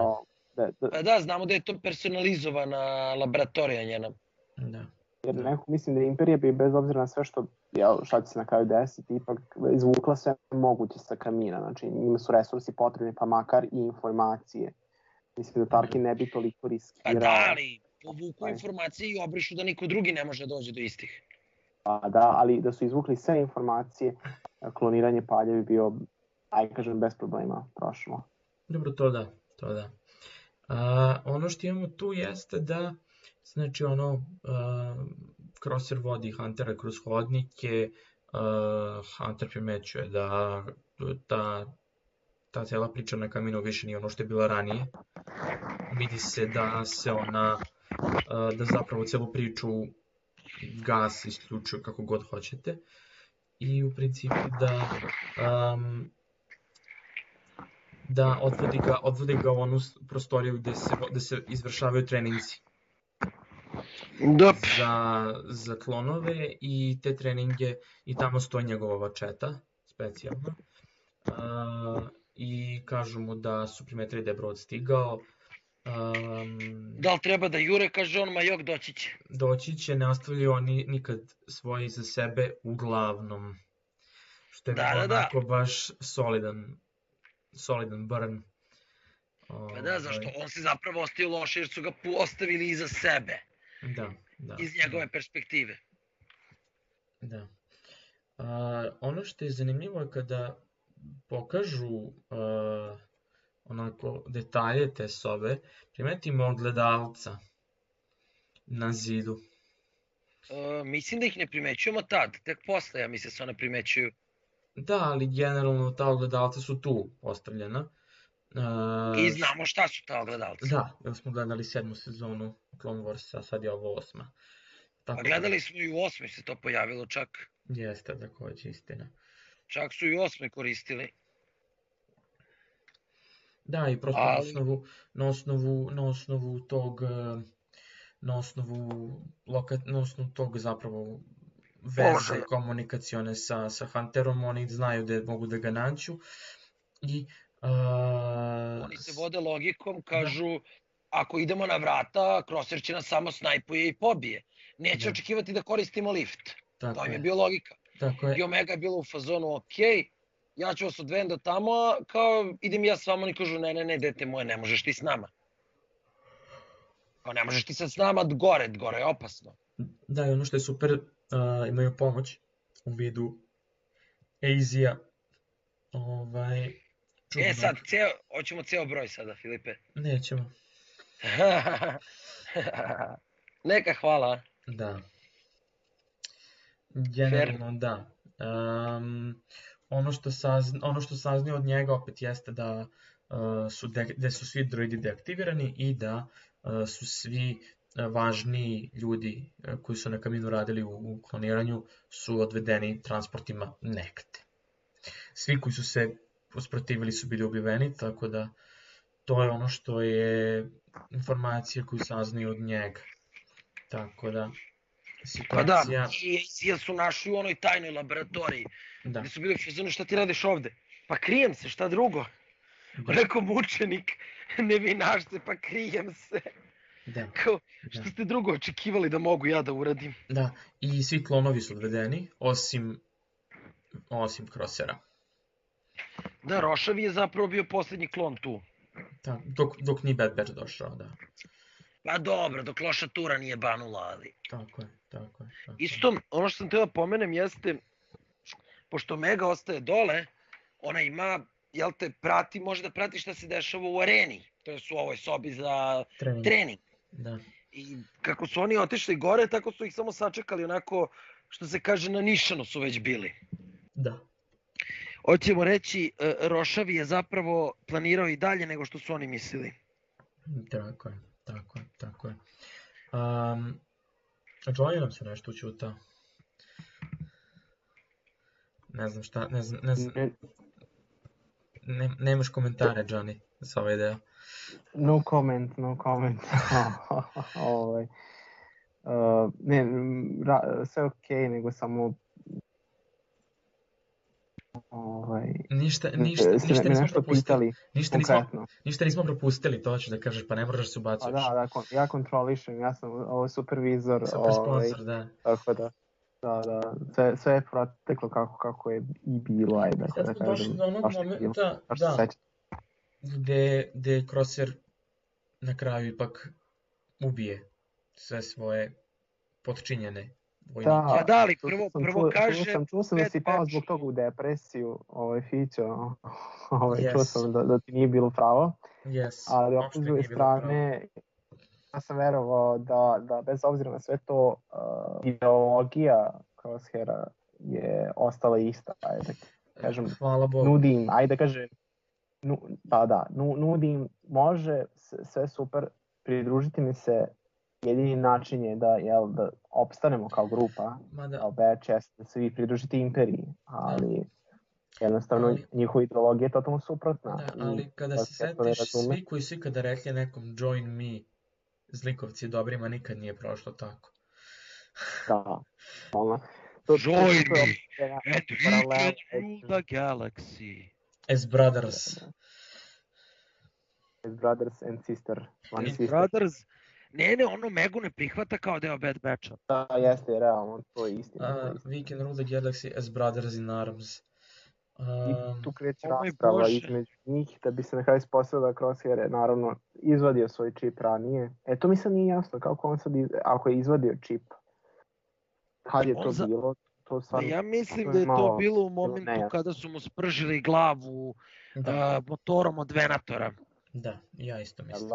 Pa da, znamo da je to personalizovana laboratorija njena. Da. Jer mislim da Imperija bi bez obzira na sve šta će se na kraju desiti, ipak izvukla sve moguće sa Kamina, znači njima su resursi potrebni, pa makar i informacije. Mislim da Tarkin ne bi toliko riskirao. Pa da, ali povuku informacije i obrišu da niko drugi ne može doći do istih. Pa da, ali da su izvukli sve informacije, kloniranje Palja bi bio, ajde kažem, bez problema prošlo. Dobro, to da. Ono što imamo tu jeste da, znači Crosser vodi Huntera kroz hodnike, Hunter primećuje da ta cijela priča na Kaminu više nije ono što je bila ranije. Vidi se da se da zapravo cijelu priču gas isključuje kako god hoćete. I u principu da odvodi ga u onu prostoriju gde se izvršavaju treninzi. Za klonove i te treninge, i tamo stoji njegova vačeta, specijalno. I kažu mu da su primetili da je brod stigao. Da li treba da jure, kaže on, ma jok, doći će. Doći će, ne ostavljaju oni nikad svoje iza sebe, uglavnom. Što je onako baš solidan burn. Pa da, zašto? On se zapravo ostavio loše jer su ga ostavili iza sebe. Da. Iz njegove perspektive. Da. Ono što je zanimljivo je kada pokažu onako detalje te sobe, primetimo gledalca. na zidu. Mislim da ih ne primećujemo tad, tek posle, ja mislim se one primećuju. Da, ali generalno ta ogledalca su tu postavljena. I znamo šta su ta ogledalca. Da, jer smo gledali 7. sezonu Clone Warsa, sad je ovo 8. Pa gledali smo i u 8. se to pojavilo čak. Jeste, takođe, istina. Čak su i u 8. koristili. Da, i prosto na osnovu tog zapravo veze komunikacione sa Hunterom, oni znaju da mogu da ga nađu i oni se vode logikom, kažu ako idemo na vrata, Crosshair će nas samo snajpuje i pobije. Neće očekivati da koristimo lift. To im je bio logika. I Omega je bilo u fazonu, ok, ja ću vas odvedem do tamo, kao idem ja s vama, oni kažu ne, dete moje, ne možeš ti s nama. Kao ne možeš ti sad s nama gore je opasno. Da, i ono što je super, imaju pomoć u vidu AZ-a. Sad, hoćemo ceo broj sada, Filipe. Nećemo. Neka hvala. Da. Generalno da. Ono što saznaju od njega opet jeste da su svi droidi deaktivirani i da su svi važniji ljudi koji su na Kaminu radili u kloniranju su odvedeni transportima negde. Svi koji su se usprotivili su bili ubiveni, tako da to je ono što je informacija koju saznaju od njega. Tako da situacija... Pa da, i su našli u onoj tajnoj laboratoriji, gdje su bili u fazonu šta ti radiš ovde? Pa krijem se, šta drugo? Rekao mučenik, nevinašce, pa krijem se. Kao, što ste drugo očekivali da mogu ja da uradim? Da, i svi klonovi su odvedeni, osim Crosshaira. Da, Rošav je zapravo bio posljednji klon tu. Da, dok nije Bad Batch došao, da. Pa dobro, dok loša tura nije banula, ali... Tako je. Isto, ono što sam teo da pomenem jeste, pošto Omega ostaje dole, ona ima, može da prati šta se dešava u areni, to je u ovoj sobi za trening. Da. I kako su oni otišli gore, tako su ih samo sačekali onako, što se kaže, na nišanu su već bili. Da. Hoćemo reći, Rošav je zapravo planirao i dalje nego što su oni mislili. Tako je. Johnny nam se nešto učuta. Ne znam šta, ne znam. Nemaš komentare, Johnny, za ovaj deo. No comment. Sve okej, nego samo... Ništa nismo propustili, to ću da kažeš, pa ne moraš da se ubacuješ. Da, ja kontrolišem, ja sam supervizor. Super sponsor, da. Tako da, sve je proteklo kako je i bilo, ajde. Sad smo došli do onog momenta, da, gde Crosshair na kraju ipak ubije sve svoje potčinjene. Da, ali prvo kaže... Čuo sam da si pao zbog toga u depresiju, Fićo, čuo sam da ti nije bilo pravo, ali opet s druge strane, ja sam verovao da bez obzira na sve to, ideologija Crosshaira je ostala ista, ajde kažem, nudim, ajde kažem, nudim, može, sve super, pridružiti mi se. Jedini način je da opstanemo kao grupa, kao Batch, da se vi pridružite imperiji, ali jednostavno njihova ideologija je totalno suprotna. Da, ali kada se setiš, svi koji su ikada rekli nekom join me, zlikovci dobrima, nikad nije prošlo tako. Da, join me and we can rule the galaxy. As brothers. As brothers and sister. As brothers. Ne, ono Megu ne prihvata kao deo Bad Batcha. Da, jeste, realno, to je istina. We can rule the galaxy as brothers in arms. I tu kreće rasprava između njih, da bi se na kraju ispostavilo da Crosshair je naravno izvadio svoj čip ranije. To mi sad nije jasno, kako on sad, ako je izvadio čip, kad je to bilo? Ja mislim da je to bilo u momentu kada su mu spržili glavu motorom od Venatora. Da, ja isto mislim.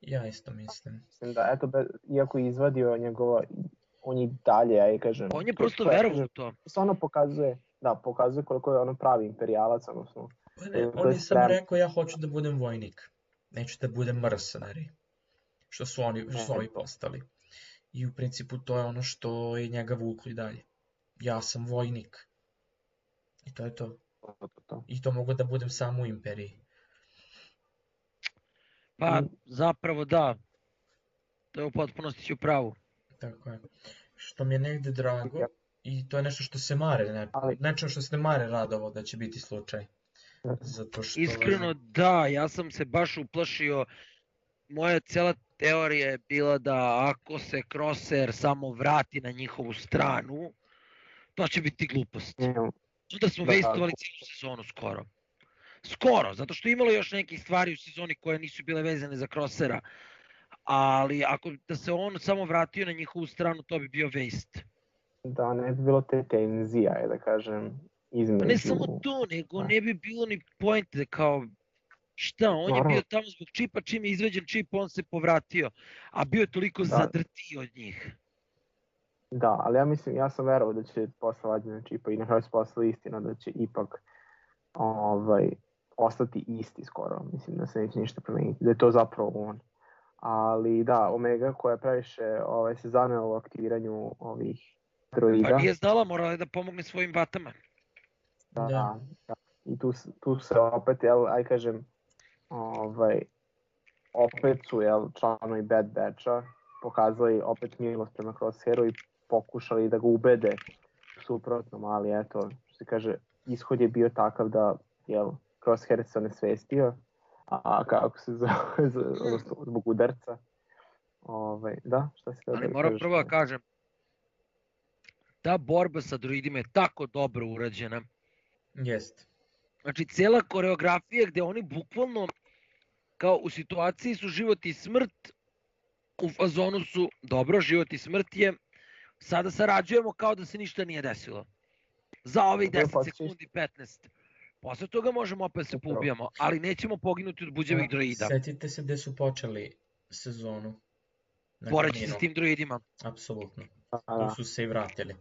Ja isto mislim. Mislim da, eto, iako je izvadio njegova, on je dalje, ja kažem. On je prosto verovao u to. Se ono pokazuje koliko je ono pravi imperijalac, odnosno. On je samo rekao ja hoću da budem vojnik, neću da budem mercenari, što su ovi postali. I u principu to je ono što je njega vuklo i dalje. Ja sam vojnik. I to je to. I to mogu da budem samo u imperiji. Pa zapravo da. To je u potpunosti u pravu. Tako je. Što mi je negde drago i to je nešto što se Mare, nečem što se Mare radovo da će biti slučaj. Zato što... Iskreno da, ja sam se baš uplašio. Moja cela teorija je bila da ako se Crosshair samo vrati na njihovu stranu, to će biti glupost. Da smo wastovali cijelu sezonu skoro. Skoro, zato što imalo još nekih stvari u sezoni koje nisu bile vezane za Crosshaira. Ali ako da se on samo vratio na njihovu stranu, to bi bio waste. Da, ne bi bilo te tenzija, da kažem, između... Pa ne samo to, nego ne bi bilo ni pointe kao... Šta, on je bio tamo zbog čipa, čim je izveđen čip, on se povratio. A bio je toliko zadrtio od njih. Da, ali ja sam verovao da će posle vađenja čipa i na kraju se posle istina da će ipak ostati isti skoro. Mislim da se neće ništa promeniti, da je to zapravo on. Ali da, Omega koja je previše se zanela u aktiviranju ovih droida. Pa nije znala, morala je da pomogne svojim vatama. Da. I tu se opet, kažem, opet su članovi Bad Batcha pokazali opet milost prema Crosshairu i pokušali da ga ubede suprotnom, ali eto, što se kaže, ishod je bio takav da Crosshair se onesvestio, a kako se zbog udarca. Da, šta se ali moram prvo da kažem, ta borba sa droidima je tako dobro urađena. Jest. Znači, cijela koreografija gde oni bukvalno kao u situaciji su život i smrt, u fazonu su dobro, život i smrt je, sada sarađujemo kao da se ništa nije desilo. Za ovih 10 sekundi, 15. Posle toga možemo opet se poubijamo, ali nećemo poginuti od buđevih droida. Setite se gde su počeli sezonu. Boreći se s tim droidima. Apsolutno. Tu su se i vratili.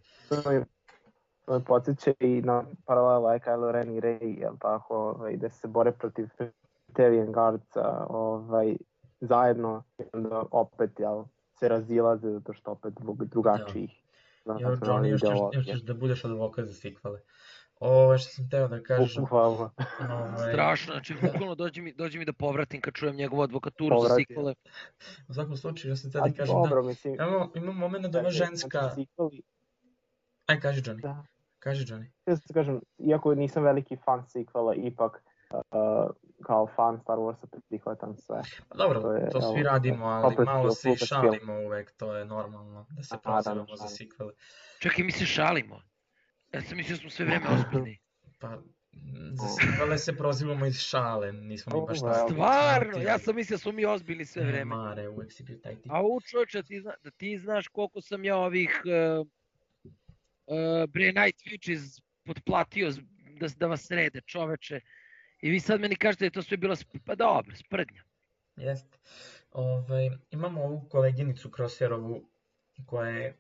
To me podsjeća i na paralela Kylo Ren i Rey, da se bore protiv Praetorian Guardsa zajedno, onda opet se razilaze zato što opet zbog drugačijih. Johnny, još ćeš da budeš advokat za sikvale. Što sam teo da kažem... Strašno, znači bukvalno dođi mi da povratim kad čujem njegovu advokaturu za sikvale. U svakom slučaju, ja sam teo da kažem da imam moment da ova ženska... Aj, kaži Johnny. Kaži Johnny. Ja sam kažem, iako nisam veliki fan sikvala, ipak kao fan Star Warsa prihvatam sve. Dobro, to svi radimo, ali malo se i šalimo uvek, to je normalno da se prozivamo za sikvale. Čekaj, mi se šalimo? Ja sam mislio da smo sve vreme ozbiljni. Pa, za sikvale se prozivamo iz šale, nismo mi baš tako. Stvarno, ja sam mislio da smo mi ozbiljni sve vreme. Mare, uvek si bio taj tip. A čovječe, da ti znaš koliko sam ja ovih Night Witches potplatio da vas srede, čoveče. I vi sad meni kažete da je to sve bila sprdnja. Jeste. Imamo ovu koleginicu Crosshairovu koja je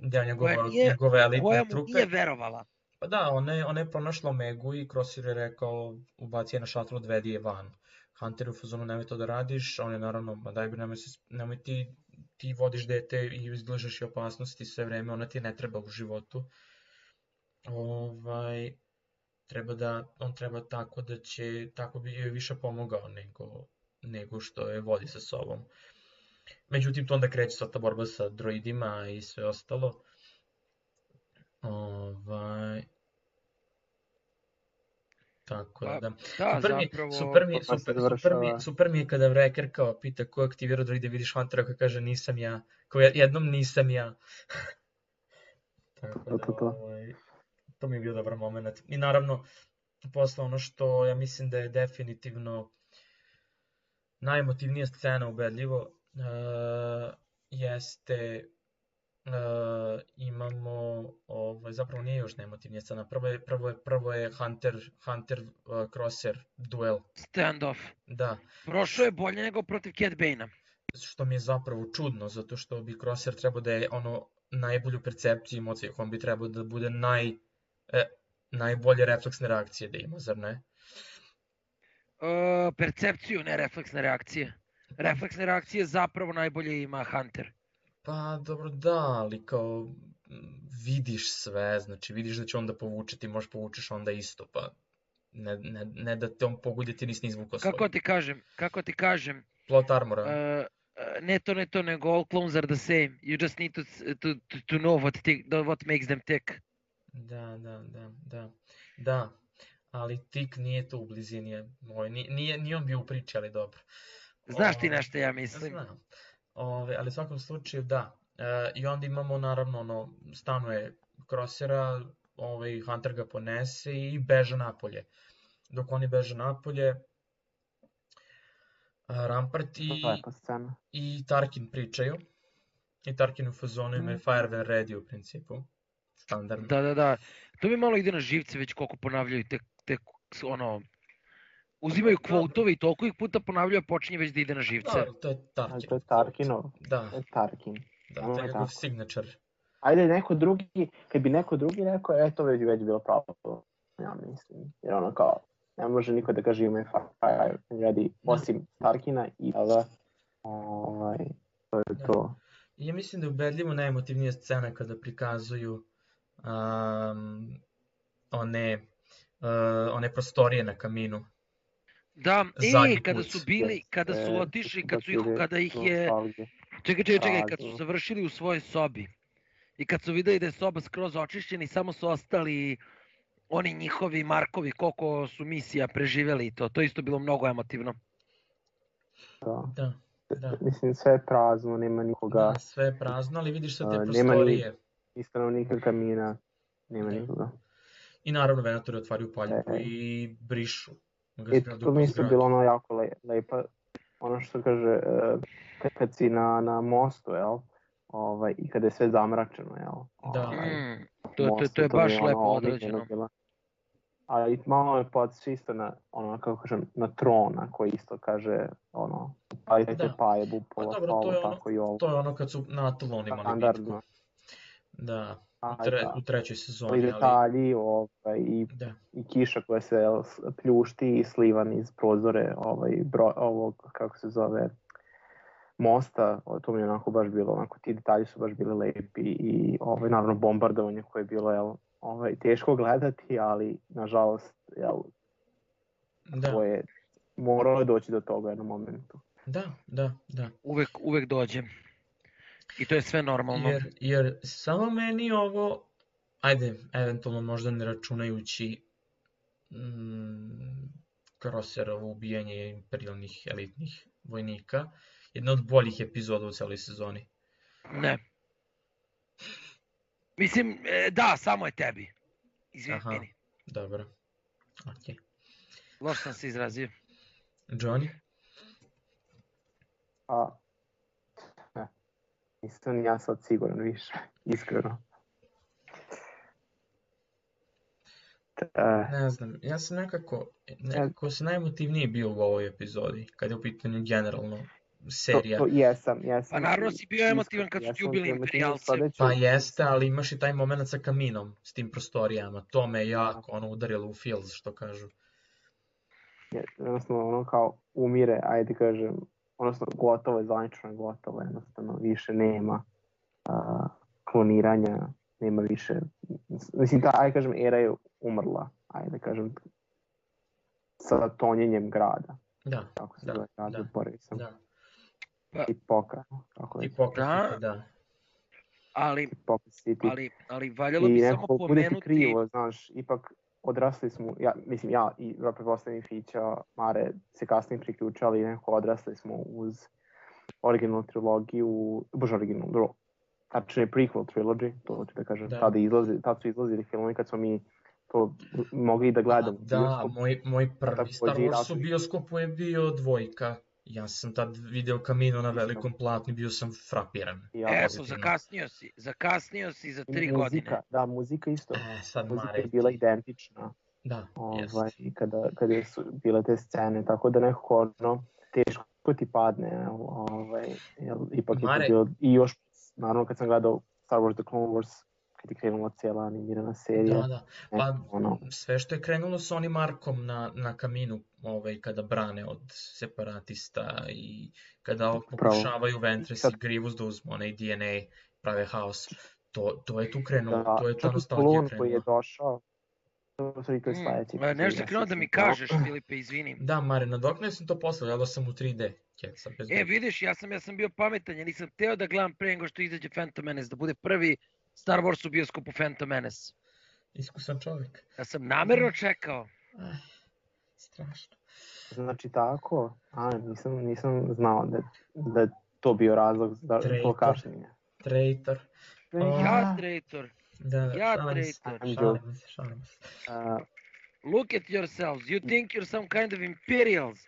deo njegove elitne trupe. Koja mu nije verovala. Pa da, ona je pronašla Omegu i Crosshair je rekao ubaci je na šatlu, odvedi je van. Hunter u fazonu nemoj to da radiš, on je naravno, nemoj ti vodiš dete i izlažeš i opasnosti sve vreme, ona ti ne treba u životu. On treba tako da će, tako bi joj više pomogao nego što je vodi sa sobom. Međutim, to onda kreće sa ta borba sa droidima i sve ostalo. Tako da. Super mi je kada Wrecker kao pita ko je aktivirao droide, vidiš Huntera koji kaže nisam ja, kao jednom nisam ja. Tako da, to mi je bio dobar moment. I naravno, posle ono što ja mislim da je definitivno najemotivnija scena ubedljivo, jeste imamo zapravo nije još najemotivnija scena. Prvo je Hunter Crosser duel. Standoff. Da. Prošao je bolje nego protiv Cat Bane-a. Što mi je zapravo čudno, zato što bi Crosser trebao da je najbolju percepciju ima od svih. On bi trebao da bude najbolje refleksne reakcije da ima, zar ne? Percepciju, ne refleksne reakcije. Refleksne reakcije zapravo najbolje ima Hunter. Pa dobro da, ali kao vidiš sve, znači vidiš da će on da povuče, ti možeš povučeš onda isto, pa ne da te on pogodi, ti nisi izvukao svoj. Kako ti kažem? Plot armora. Ne to, nego all clones are the same. You just need to know what makes them tick. Da, ali tik nije to u blizini. Nije on bio u priči, ali dobro. Znaš ti na što ja mislim? Znam. Ali u svakom slučaju da. I onda imamo naravno stanuje Crossera, Hunter ga ponese i beže napolje. Dok oni beže napolje, Rampart i Tarkin pričaju. I Tarkin u fazonu ima Fire when ready u principu. Standardno. Da. To mi malo ide na živce već koliko ponavljaju te uzimaju kvotove i toliko ih puta ponavljaju, počinje već da ide na živce. Da, to je Tarkin. To je Tarkinov. Da. To je Tarkin. Da, to je njegov signature. Ajde neko drugi, kad bi neko drugi rekao, to već bilo pravo. Ja mislim, jer kao, ne može niko da kaže ima Fire ready, osim Tarkina i to je to. Ja mislim da je ubedljivo najemotivnija scena kada prikazuju one prostorije na kaminu. Da, kada su otišli, kada ih je... Čekaj, kad su završili u svojoj sobi i kad su videli da je soba skroz očišćena i samo su ostali oni njihovi Markovi, koliko su misija preživjeli i to isto bilo mnogo emotivno. Da. Mislim, sve je prazno, nema nikoga. Da, sve je prazno, ali vidiš sve te prostorije. Nema ni stanovnika kamina, nema nikoga. I naravno Venatori otvaraju paljku i brišu. I to mi isto bilo jako lepo. Ono što kaže, kad si na mostu, i kada je sve zamračeno, Da. To je baš lepo odrađeno. Ali malo je podsjeća isto na, kako kažem, na Trona koji isto kaže, ali te pajebu pola hvala, tako i ovo. To je ono kad su na Atalon imali bitku. Da, u trećoj sezoni. I detalji, i kiša koja se pljušti i slivan iz prozore ovog, kako se zove, mosta, to mi je onako baš bilo, ti detalji su baš bili lepi i naravno bombardovanje koje je bilo, teško gledati, ali nažalost, moralo je doći do toga u jednom momentu. Da. Uvek dođe. I to je sve normalno. Jer samo meni ovo, ajde, eventualno možda ne računajući Crosserovo ubijanje imperialnih elitnih vojnika, jedna od boljih epizoda u celoj sezoni. Ne. Mislim, da, samo je tebi. Izvini. Aha, dobro. Ok. Loš sam se izrazio. Johnny? Nisam ja sad siguran više, iskreno. Ne znam, ja sam nekako sam najemotivniji bio u ovoj epizodi, kad je u pitanju generalno serija. To jesam. Pa naravno si bio emotivan kad su ti ubili imperijalce. Pa jeste, ali imaš i taj moment sa kaminom, s tim prostorijama. To me jako udarilo u feels, što kažu. Jednostavno, kao umire, ajde kažem, odnosno gotovo je, zvanično je gotovo, jednostavno više nema kloniranja, nema više, mislim ajde kažem era je umrla, ajde kažem sa tonjenjem grada. Da, kako se zove grad, zaboravio sam. Da. Hipokrati, da. Ali valjalo bi samo pomenuti... I nekako krivo, znaš, ipak odrasli smo, ja i pretpostavljam Fića, Mare se kasnije priključali, nekako odrasli smo uz originalnu trilogiju, tačnije prequel trilogy, to ću da kažem, tad su izlazili filmovi kad smo mi to mogli da gledamo. Da, moj prvi Star Wars u bioskopu je bio 2. Ja sam tad video Camino na velikom platnu i bio sam frapiran. Eto, zakasnio si za 3 godine. Da, muzika isto. Sad Muzika je bila identična. Da, jest. Kada su bile te scene, tako da nekako teško ti padne, ipak je to bilo, i još naravno kad sam gledao Star Wars The Clone Wars, kad je krenula cijela animirana serija. Da, pa sve što je krenulo sa onim arkom na Kaminu, kada brane od separatista i kada pokušavaju Ventress i Grievous da uzmu onaj DNA, prave haos, to je tu krenulo, to je ta nostalgija krenula. Koji je došao, nešto je krenuo da mi kažeš, Filipe, izvini. Da, Mare, nadoknao sam to posle, gledao sam u 3D. Vidiš, ja sam bio pametan, ja nisam teo da gledam pre nego što izađe Phantom Menace, da bude prvi Star Wars u bioskopu Phantom Menace. Iskusan čovjek. Ja sam namjerno čekao. Strašno. Znači tako? Nisam znao da je to bio razlog za to kašnjenje. Traitor. Ja traitor. Šalim se. Look at yourselves. You think you're some kind of Imperials.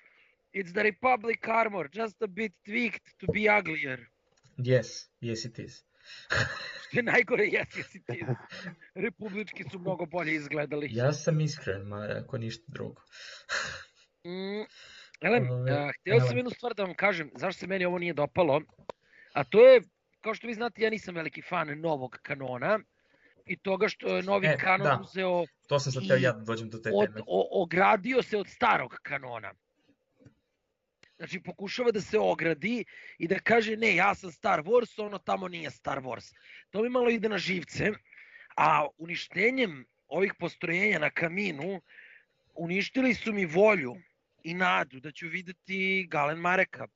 It's the Republic armor, just a bit tweaked to be uglier. Yes it is. Što je najgore, yes it is. Republički su mnogo bolje izgledali. Ja sam iskren, ako ništa drugo. Htio sam jednu stvar da vam kažem, zašto se meni ovo nije dopalo, a to je, kao što vi znate, ja nisam veliki fan novog kanona i toga što je novi kanon uzeo to sam sad teo ja da dođem do te teme. Ogradio se od starog kanona. Znači pokušava da se ogradi i da kaže ne, ja sam Star Wars, ono tamo nije Star Wars. To mi malo ide na živce, a uništenjem ovih postrojenja na Kaminu uništili su mi volju i nadu da ću videti Galen Mareka.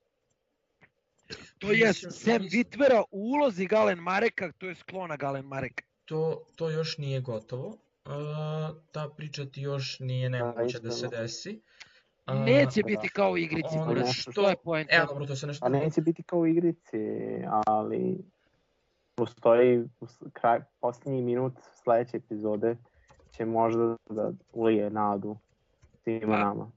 To je Sam Witwera u ulozi Galen Mareka, to je sklona Galen Mareka. To još nije gotovo, ta priča ti još nije nemoguće da se desi. Neće biti kao u igrici, što je poenta. A neće biti kao u igrici, ali postoji posljednji minut sledeće epizode će možda da ulije nadu svima nama.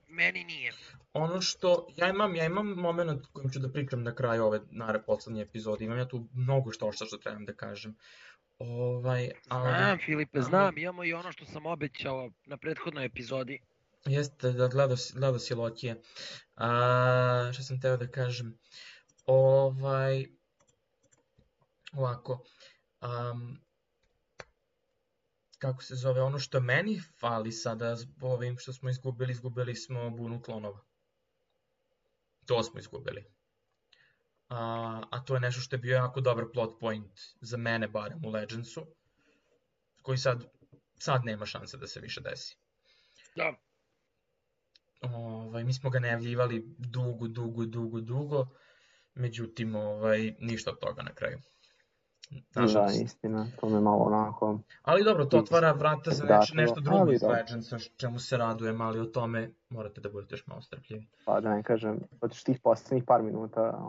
Meni nije. Ono što, ja imam moment kojim ću da pričam na kraju ove poslednje epizode, imam ja tu mnogo što trebam da kažem. Znam, Filipe, znam, imamo i ono što sam obećao na prethodnoj epizodi. Jeste, da gledao si Lokije. Što sam teo da kažem? Ovako. Kako se zove, ono što meni fali sada ovim što smo izgubili smo bunu klonova. To smo izgubili. A to je nešto što je bio jako dobar plot point za mene barem u Legendsu, koji sad nema šanse da se više desi. Da. Mi smo ga najavljivali dugo, međutim ništa od toga na kraju. Da, istina, to me malo onako... Ali dobro, to otvara vrata za nešto drugo iz Legendsa, čemu se radujem, ali o tome morate da budete još malo strpljivi. Pa da ne kažem, od tih posljednjih par minuta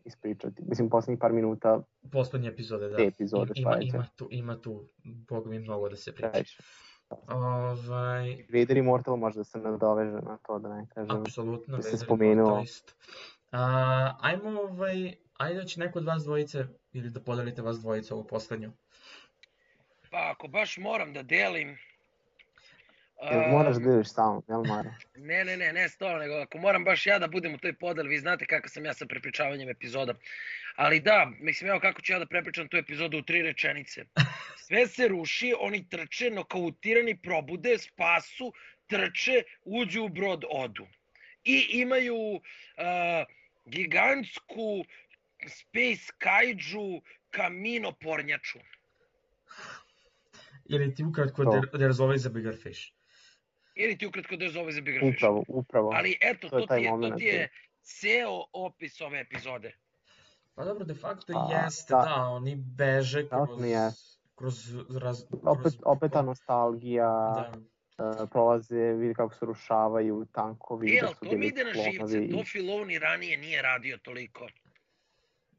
ispričati, mislim posljednjih par minuta... Poslednje epizode, da. Te epizode Ima tu, Boga mi, mnogo da se priča. Vader Immortal može da se nadoveže na to, da ne kažem. Apsolutno, Vader Immortal isto. Ajde da će neko od vas dvojice ili da podelite vas dvojice ovu poslednju. Pa ako baš moram da delim... Moraš da deliš samo, jel Mara? Ne stvarno, nego ako moram baš ja da budem u toj podeli, vi znate kako sam ja sa prepričavanjem epizoda. Ali da, mislim, evo kako ću ja da prepričam tu epizodu u 3 rečenice. Sve se ruši, oni trče, nokautirani, probude, spasu, trče, uđu u brod, odu. I imaju gigantsku space kaiju Kamino pornjaču. Ili ti ukratko There's always a bigger fish. Upravo. Ali eto, to ti je ceo opis ove epizode. Pa dobro, de facto jeste, da, oni beže kroz... Opet ta nostalgija, prolaze, vidi kako se rušavaju tankovi. To mi ide na živce, to Filoni ranije nije radio toliko.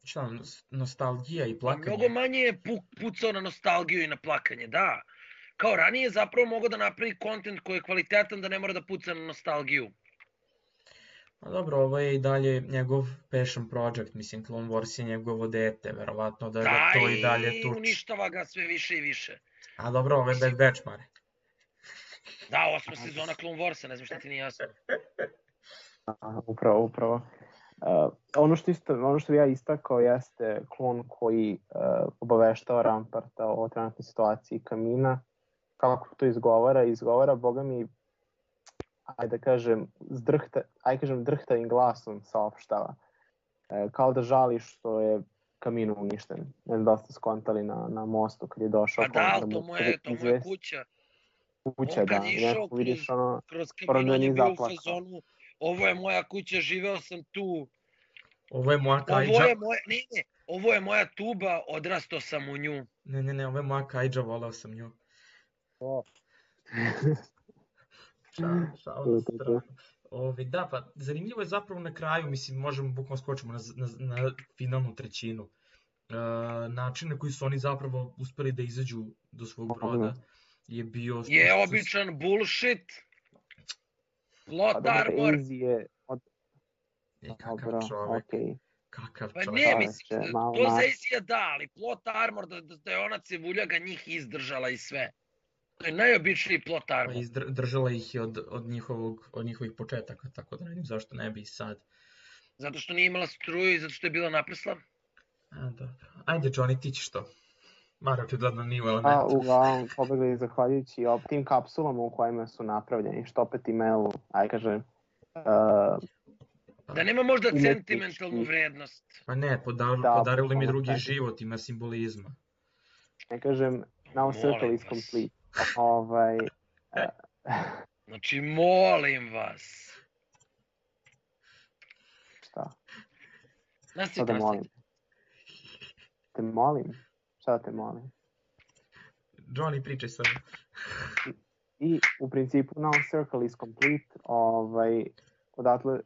Šta, nostalgija i plakanje? Mnogo manje je pucao na nostalgiju i na plakanje, da. Kao ranije je zapravo mogao da napravi kontent koji je kvalitetan da ne mora da puca na nostalgiju. A dobro, ovo je i dalje njegov passion project, mislim, Clone Wars je njegovo dete, verovatno da ga Da, to i dalje i tuči. uništava ga sve više i više. A dobro, ovo je Bad Batch, Mare. Da, 8. sezona Clone Warsa, ne znam šta ti nije jasno. Upravo. Ono što bi ja istakao jeste klon koji obaveštava Ramparta o trenutnoj situaciji Kamina. Kako to izgovara, boga mi, ajde kažem, drhtavim glasom saopštava. Kao da žali što je Kamin uništen. Ne znam da ste skontali na mostu kad je došao. Pa da, to mu je kuća. Kuća, da. Neko vidiš ono... Kroz Kamin, on je bio u fazonu, ovo je moja kuća, živeo sam tu. Ovo je moja kajđa. Ovo je moja tuba, odrastao sam u nju. Ne, ovo je moja kajđa, volao sam nju. Šao na stranu. Da, pa zanimljivo je zapravo na kraju, mislim, možemo bukvalno skočimo na finalnu trećinu. Način na koji su oni zapravo uspeli da izađu do svog broda je bio... Je običan bullshit. Plot armor. Kakav čovek. Kakav Pa čovek. ne, mislim, to za Izija da, ali plot armor da je ona cevuljaga njih izdržala i sve. To je najobičniji plot armor. Držala ih je od njihovih početaka, tako da ne vidim zašto ne bi i sad. Zato što nije imala struju i zato što je bila naprsla? Dobro. Ajde, Johnny, ti ćeš to. Mara očigledno nije u elementu. Uglavnom, pobegli zahvaljujući tim kapsulama u kojima su napravljeni, što opet imaju, da nema možda sentimentalnu vrednost. Pa ne, podarili mi drugi život, ima simbolizma. Ne kažem, now circle is complete. Znači, molim vas. Šta? Šta te molim? Te molim? Šta te molim? Johnny, pričaj sad. I u principu now circle is complete.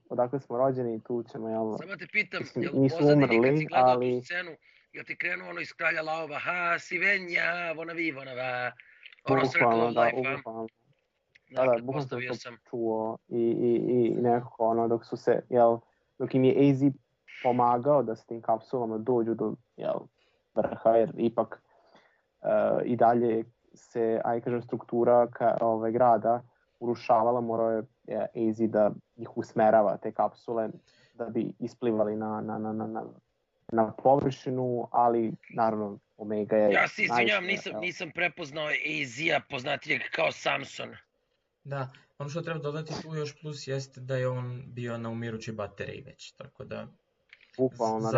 Odakle smo rođeni i tu ćemo, jel... Samo te pitam, jel pozadini kad si gledao tu scenu, jel ti krenuo ono iz Kralja Laova, ha, si venja, vonavi, vonava, ono circle of life, a? Da, bukvalno sam to čuo i nekako ono, dok im je AZ pomagao da s tim kapsulama dođu do, vrha, jer ipak i dalje se, struktura grada urušavala, morao je AZ da ih usmerava, te kapsule, da bi isplivali na površinu, ali naravno Omega je... Ja se izvinjam, nisam prepoznao AZ-a poznatijeg kao Samson. Da, ono što treba dodati tu još plus jeste da je on bio na umirućoj bateriji već, tako da... Bukvalno,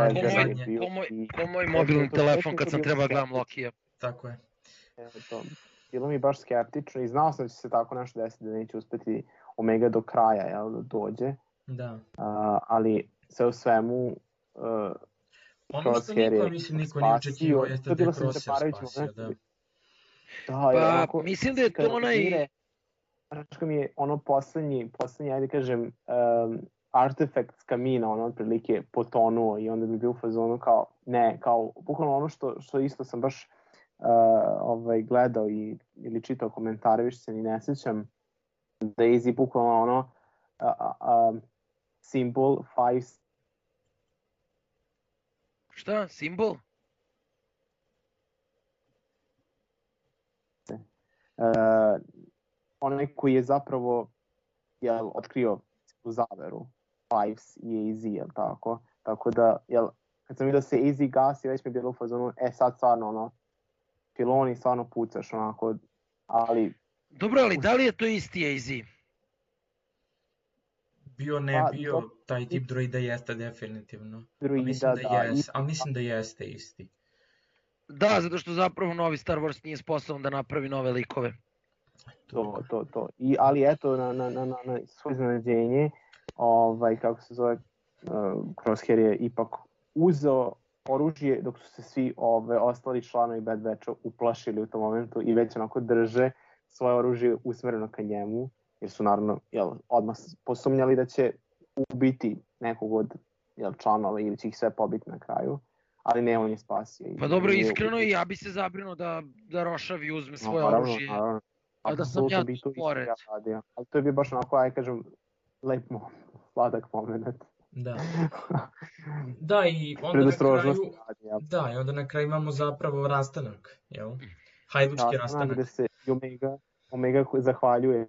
ko moj mobilni telefon kad sam treba gledam Lokija. Tako je. Bilo mi baš skeptično i znao sam da će se tako nešto desiti, da neće uspeti Omega do kraja, da dođe. Da. Ali sve u svemu... Ono što niko nije očekivao jeste da je Crosshair spasio, da. Pa, mislim da je to onaj... Znaš mi je ono poslednji, ajde kažem, artefakt s Kamina, ono otprilike potonuo i onda bi bio u fazonu kao, bukvalno ono što isto sam baš gledao ili čitao komentare, više se ni ne sjećam, da je Izzy bukvalno ono simbol 5. Šta? Simbol? Onaj koji je zapravo otkrio zaveru Fives i AZ, jel tako? Tako da, kad sam vidio da se AZ gasi, već mi je bilo u fazonu, sad stvarno, ono, piloni stvarno pucaš, onako, ali... Dobro, ali da li je to isti AZ? Bio, taj tip droida jeste definitivno. Mislim da jeste isti. Da, zato što zapravo novi Star Wars nije sposoban da napravi nove likove. To. Ali eto, na svoje iznenađenje, kako se zove, Crosshair je ipak uzeo oružje dok su se svi ostali članovi Bad Batcha uplašili u tom momentu i već onako drže svoje oružje usmereno ka njemu, jer su naravno odmah posumnjali da će ubiti nekog od članova ili će ih sve pobiti na kraju. Ali ne, on je spasio. Pa dobro, iskreno i ja bi se zabrinuo da rošavi uzme svoje oružje. A da sam ja tu pored. Ali to je bio baš onako, kažem, lep moment. sladak moment. Da. Da, i onda na Predostrožnost kraju, radi, jel? da, i onda na kraju imamo zapravo rastanak, jel? Hajdučki rastanak. Gde se i Omega zahvaljuje,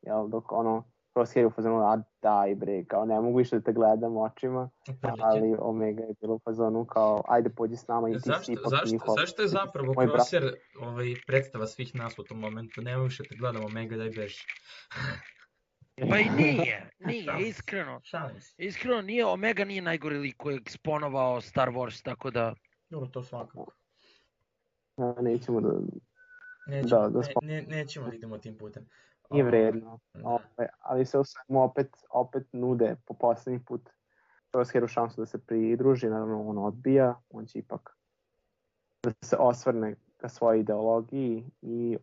jel, dok ono, Crosshair u fazonu, a daj bre, kao ne mogu više da te gledam očima, ali Omega je bilo u fazonu kao, ajde pođi s nama i ti si ipak njihov. Zašto je zapravo Crosshair predstava svih nas u tom momentu? Ne mogu više da te gledam, Omega, daj beži. Pa i nije, iskreno. Iskreno nije, Omega nije najgori lik koji je eksponovao Star Wars, tako da... Dobro, to svakako. Nećemo da... Nećemo da idemo tim putem. Nije vredno, ali se opet nude po poslednji put Crosshairu šansu da se pridruži, naravno on odbija, on će ipak da se osvrne ka svojoj ideologiji i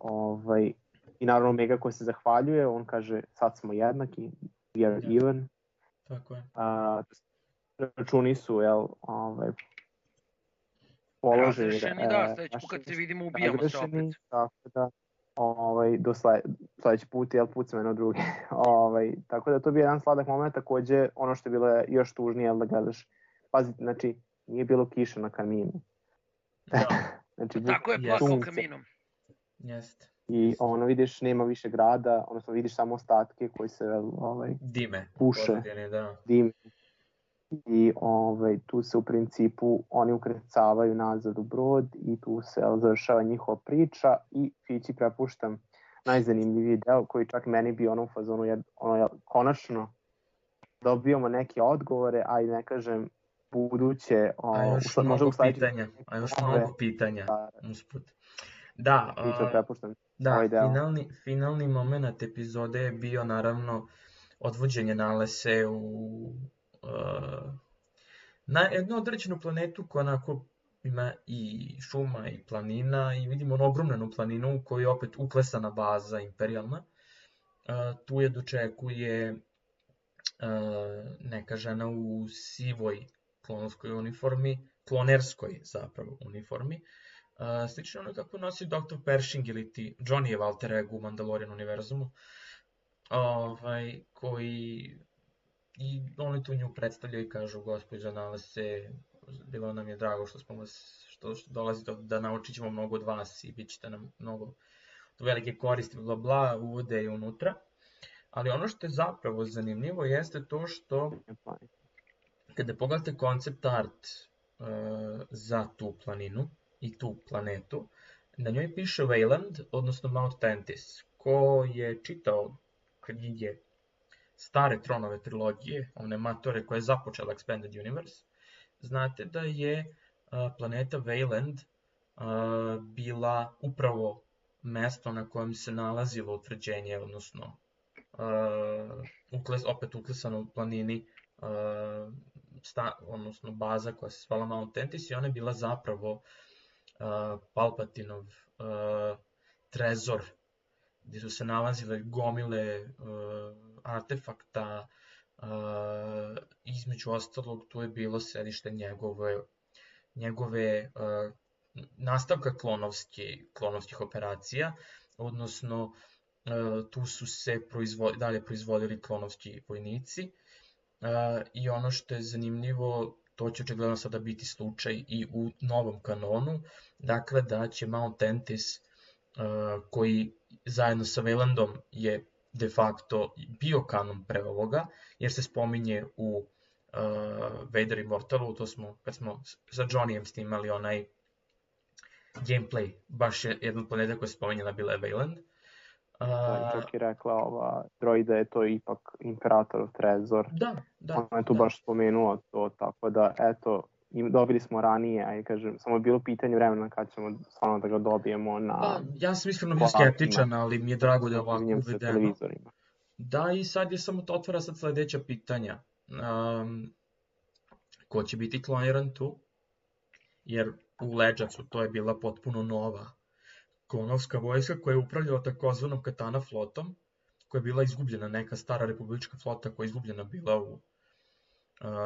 naravno Omega koji se zahvaljuje, on kaže sad smo jednaki, we are even. Tako je. Računi su, položeni. Razrešeni, da, sledeći put kad se vidimo ubijamo se opet. Tako da, do sledeći put, put se mene drugi. Tako da to je bio jedan sladak moment, takođe ono što je bilo još tužnije, da gledaš, pazite, znači, nije bilo kiša na kaminu. Znači, tako je plakao kaminom. Jeste. I vidiš, nema više grada, odnosno vidiš samo ostatke koji se dime, puše, dime. I tu se u principu oni ukrcavaju nazad u brod i tu se završava njihova priča i Fići prepuštam najzanimljiviji deo koji čak meni bio u fazonu, konačno dobijamo neke odgovore, a i ne kažem buduće, a još mnogo pitanja usput. Da, finalni moment epizode je bio naravno odvođenje Nalese na jednu određenu planetu koja onako ima i šuma i planina i vidimo onu ogromnu planinu u kojoj je opet uklesana baza imperijalna. Tu je dočekuje neka žena u sivoj klonovskoj uniformi, klonerskoj zapravo uniformi. Slično ono kako nosi Dr. Pershing ili ti Johnny alter ego u Mandalorian univerzumu, koji i oni tu nju predstavljaju i kažu gospođa Nalese, bilo nam je drago što dolazite da naučit ćemo mnogo od vas i bit ćete nam mnogo velike koristi, bla bla, uvode i unutra. Ali ono što je zapravo zanimljivo jeste to što kada pogledate koncept art za tu planinu i tu planetu, na njoj piše Wayland, odnosno Mount Tantis. Ko je čitao knjige stare Tronove trilogije, one matore koje je započela Expanded Universe, znate da je planeta Wayland bila upravo mesto na kojem se nalazilo utvrđenje, odnosno opet uklesano u planini, odnosno baza koja se zvala Mount Tantis i ona je bila zapravo Palpatinov trezor, gdje su se nalazile gomile artefakta, između ostalog tu je bilo sedište njegove nastavka klonovskih operacija, odnosno tu su se dalje proizvodili klonovski vojnici i ono što je zanimljivo, to će očigledno sada biti slučaj i u novom kanonu, dakle da će Mount Tantis, koji zajedno sa Waylandom je de facto bio kanon pre ovoga, jer se spominje u Vader Immortalu, to smo, kad smo sa Johnnyem snimali onaj gameplay, baš je jedna planeta koja se spominjena bila je Wayland. Čak je rekla droida je to ipak Imperatorov trezor. Da. Ona je tu baš spomenuo to, tako da eto, dobili smo ranije, a kažem, samo je bilo pitanje vremena kad ćemo stvarno da ga dobijemo na... Ja sam iskreno bio skeptičan, ali mi je drago da je ovako uvedeno. Da, i sad je samo to otvara sad sledeća pitanja. Ko će biti kloniran tu? Jer u Leđacu to je bila potpuno nova klonovska vojska koja je upravljala takozvanom Katana flotom, koja je bila izgubljena, neka stara republička flota koja je izgubljena bila u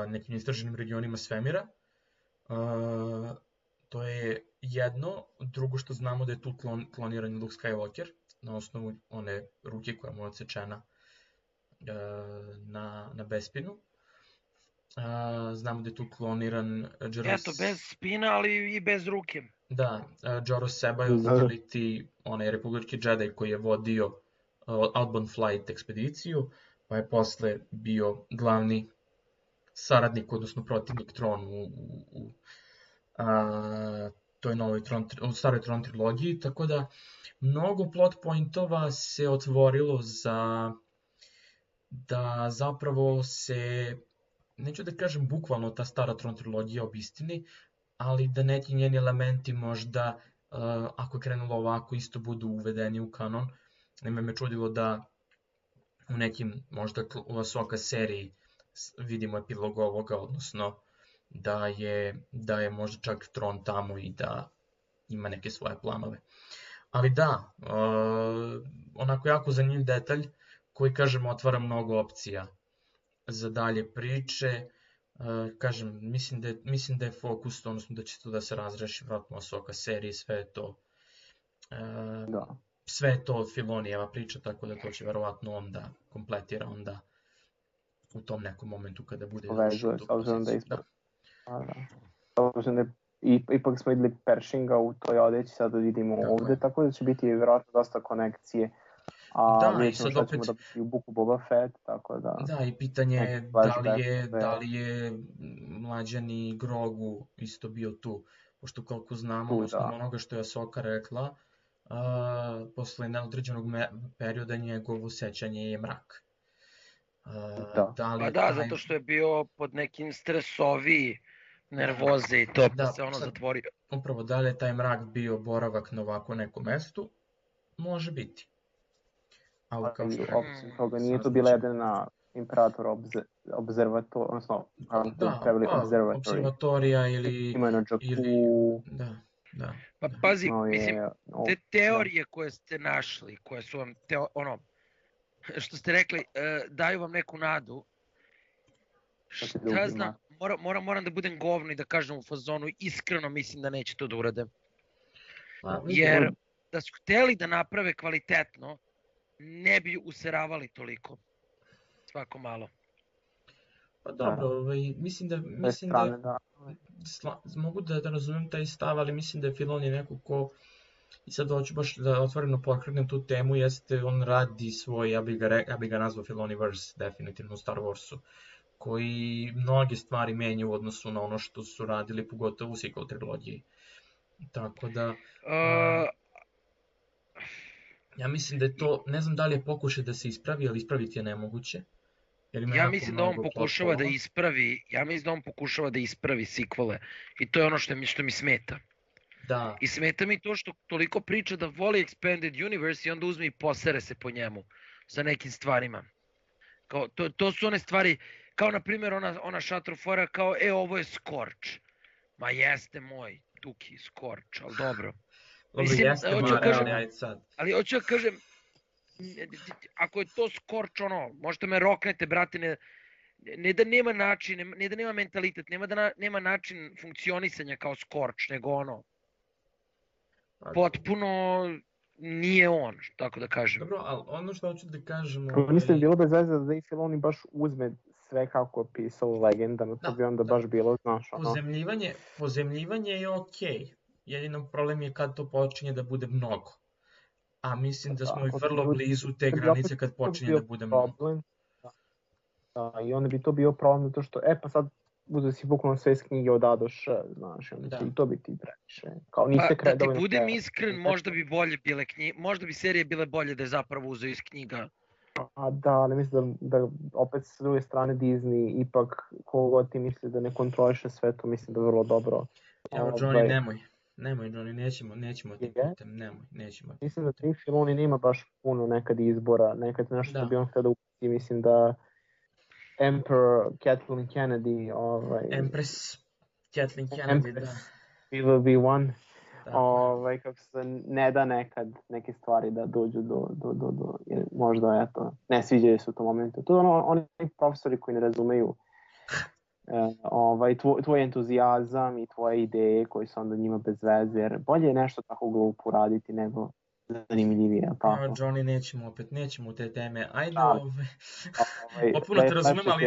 nekim istraženim regionima svemira. To je jedno. Drugo što znamo da je tu kloniran Luke Skywalker na osnovu one ruke koja mu je odsečena na Bespinu. Znamo da je tu kloniran Joros... Eto, bez spina, ali i bez ruke. Da, Joros Ceballos, ili ti onaj republički Jedi koji je vodio Outbound Flight ekspediciju, pa je posle bio glavni saradnik, odnosno protivnik Tron u toj novoj u staroj Tron trilogiji, tako da mnogo plot pointova se otvorilo da zapravo se, neću da kažem bukvalno ta stara Tron trilogija obistini, ali da neki njeni elementi možda, ako je krenulo ovako, isto budu uvedeni u kanon. Nema me čudilo da u nekim možda u Ahsoka seriji vidimo epilog ovoga, odnosno da je možda čak Tron tamo i da ima neke svoje planove. Ali da, onako jako zanimljiv detalj koji, kažem, otvara mnogo opcija za dalje priče. Kažem, mislim da je fokus, odnosno da će to da se razreši vratno Ahsoka seriji, sve je to sve je to Filonijeva priča, tako da to će verovatno onda kompletira onda u tom nekom momentu kada bude završio tu poziciju. Ipak smo videli Pershinga u toj odeći, sada vidimo ovde, tako da će biti vjerojatno dosta konekcije. A mi ćemo šta ćemo da biti u Buku Boba Fett, tako da... Da, i pitanje je da li je mlađani Grogu isto bio tu, pošto koliko znamo, osnovno onoga što je Ahsoka rekla, posle neodređenog perioda njegovo sećanje je mrak. Zato što je bio pod nekim stresoviji nervoze i to pa se ono zatvorio. Upravo, da li je taj mrak bio boravak na ovako nekom mestu? Može biti. Ali osim toga nije to bila jedina Imperator observatorija, odnosno observatorija ili... Ima na Jakku... Da. Pa pazi, mislim, te teorije koje ste našli, koje su vam, što ste rekli, daju vam neku nadu. Šta znam, moram da budem govno i da kažem u fazonu, iskreno mislim da neće to da urade. Jer da su hteli da naprave kvalitetno, ne bi useravali toliko. Svako malo. Pa dobro, mislim da mogu da razumem taj stav, ali mislim da je Filoni neko ko, i sad hoću baš da otvoreno pokrenem tu temu, jeste on radi svoj, ja bi ga nazvao Filoniverse, definitivno u Star Warsu, koji mnoge stvari menja u odnosu na ono što su radili, pogotovo u sequel trilogiji. Tako da... Ja mislim da je to, ne znam da li je pokušaj da se ispravi, ali ispraviti je nemoguće. Ja mislim da on pokušava da ispravi sequele i to je ono što mi smeta. Da. I smeta mi to što toliko priča da voli Expanded Universe i onda uzme i posere se po njemu sa nekim stvarima. To su one stvari, kao na primjer ona šatrofora kao ovo je Scorch. Ma jeste moj, Tuki, Scorch, ali dobro. Mislim, ali hoću da kažem, ako je to Scorch, možete me roknete, brate, ne da nema način, ne da nema mentalitet, nema način funkcionisanja kao Scorch, nego potpuno nije on, tako da kažem. Dobro, ali ono što hoću da kažem... Mislim, bilo bez veze da i Filoni baš uzme sve kako je pisao legendama, to bi onda baš bilo, znaš, Pozemljivanje je okej. Jedino problem je kad to počinje da bude mnogo. A mislim da smo i vrlo blizu te granice kad počinje da bude mnogo. Da, i onda bi to bio problem zato što, pa sad uzeo si bukvalno sve iz knjige od A do Š, znaš, i to bi ti previše. Da ti budem iskren, možda bi serije bile bolje da je zapravo uzeo iz knjiga. Da, ali mislim da opet s druge strane Disney ipak kogod ti misli da ne kontroliše sve to, mislim da je vrlo dobro. Evo, Johnny, Nemoj, Johnny, nećemo ti putem, nećemo. Mislim da Dave Filoni nema baš puno nekad izbora, nekad nešto što bi on htio da uputi, mislim da Emperor Kathleen Kennedy, Empress Kathleen Kennedy, da. Will be one, kako se ne da nekad neke stvari da dođu do možda, ne sviđaju se u tom momentu. To je oni profesori koji ne razumeju tvoj entuzijazam i tvoje ideje koji su onda njima bez veze, jer bolje je nešto tako glupo raditi nego zanimljivije. Johnny, nećemo te teme, ajde, potpuno te razumem, ali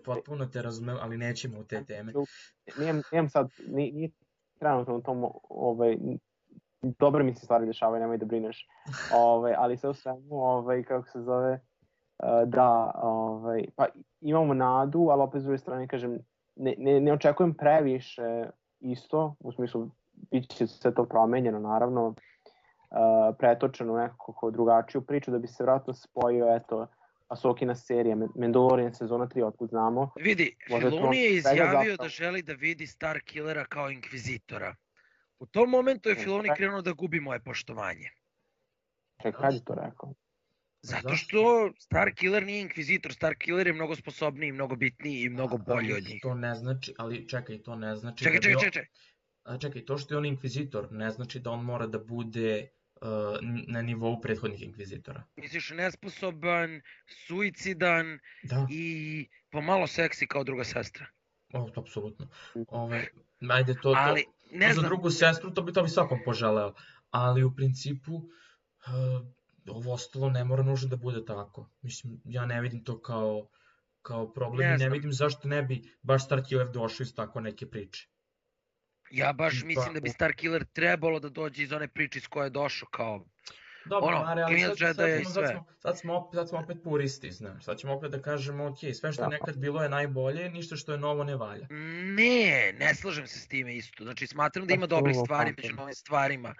Potpuno te razumem, ali nećemo u te teme. Nijem sad, nije trenutno u tom, dobro mi se stvari dešavaju, nemoj da brineš. Ali sve u svemu, kako se zove, da, pa imamo nadu, ali opet s druge strane, kažem, ne očekujem previše isto, u smislu, bit će sve to promenjeno, naravno, pretočeno u nekako drugačiju priču, da bi se vratno spojio, eto, Ahsokina serija, Mandalorian sezona 3, otkud znamo. Vidi, Filoni je izjavio da želi da vidi Starkillera kao inkvizitora. U tom momentu je Filoni krenuo da gubi moje poštovanje. Čekaj, kada je to rekao? Zato što Starkiller nije inkvizitor, Starkiller je mnogo sposobniji, mnogo bitniji i mnogo bolji od njih. To ne znači, ali čekaj, to ne znači... Čekaj. To što je on inkvizitor ne znači da on mora da bude na nivou prethodnih inkvizitora. Misliš nesposoban, suicidan i pomalo seksi kao druga sestra. Apsolutno. Ajde, to za drugu sestru to bi svakom poželeo. Ali u principu ovo ostalo ne mora nužno da bude tako. Mislim, ja ne vidim to kao problem i ne vidim zašto ne bi baš Starkiller došao iz tako neke priče. Ja baš mislim da bi Starkiller trebalo da dođe iz one priče iz koje je došao kao... Dobro, ali sad smo opet puristi, znaš. Sad ćemo opet da kažemo, ok, sve što je nekad bilo je najbolje, ništa što je novo ne valja. Ne slažem se s time isto. Znači, smatram da ima dobrih stvari među novim stvarima.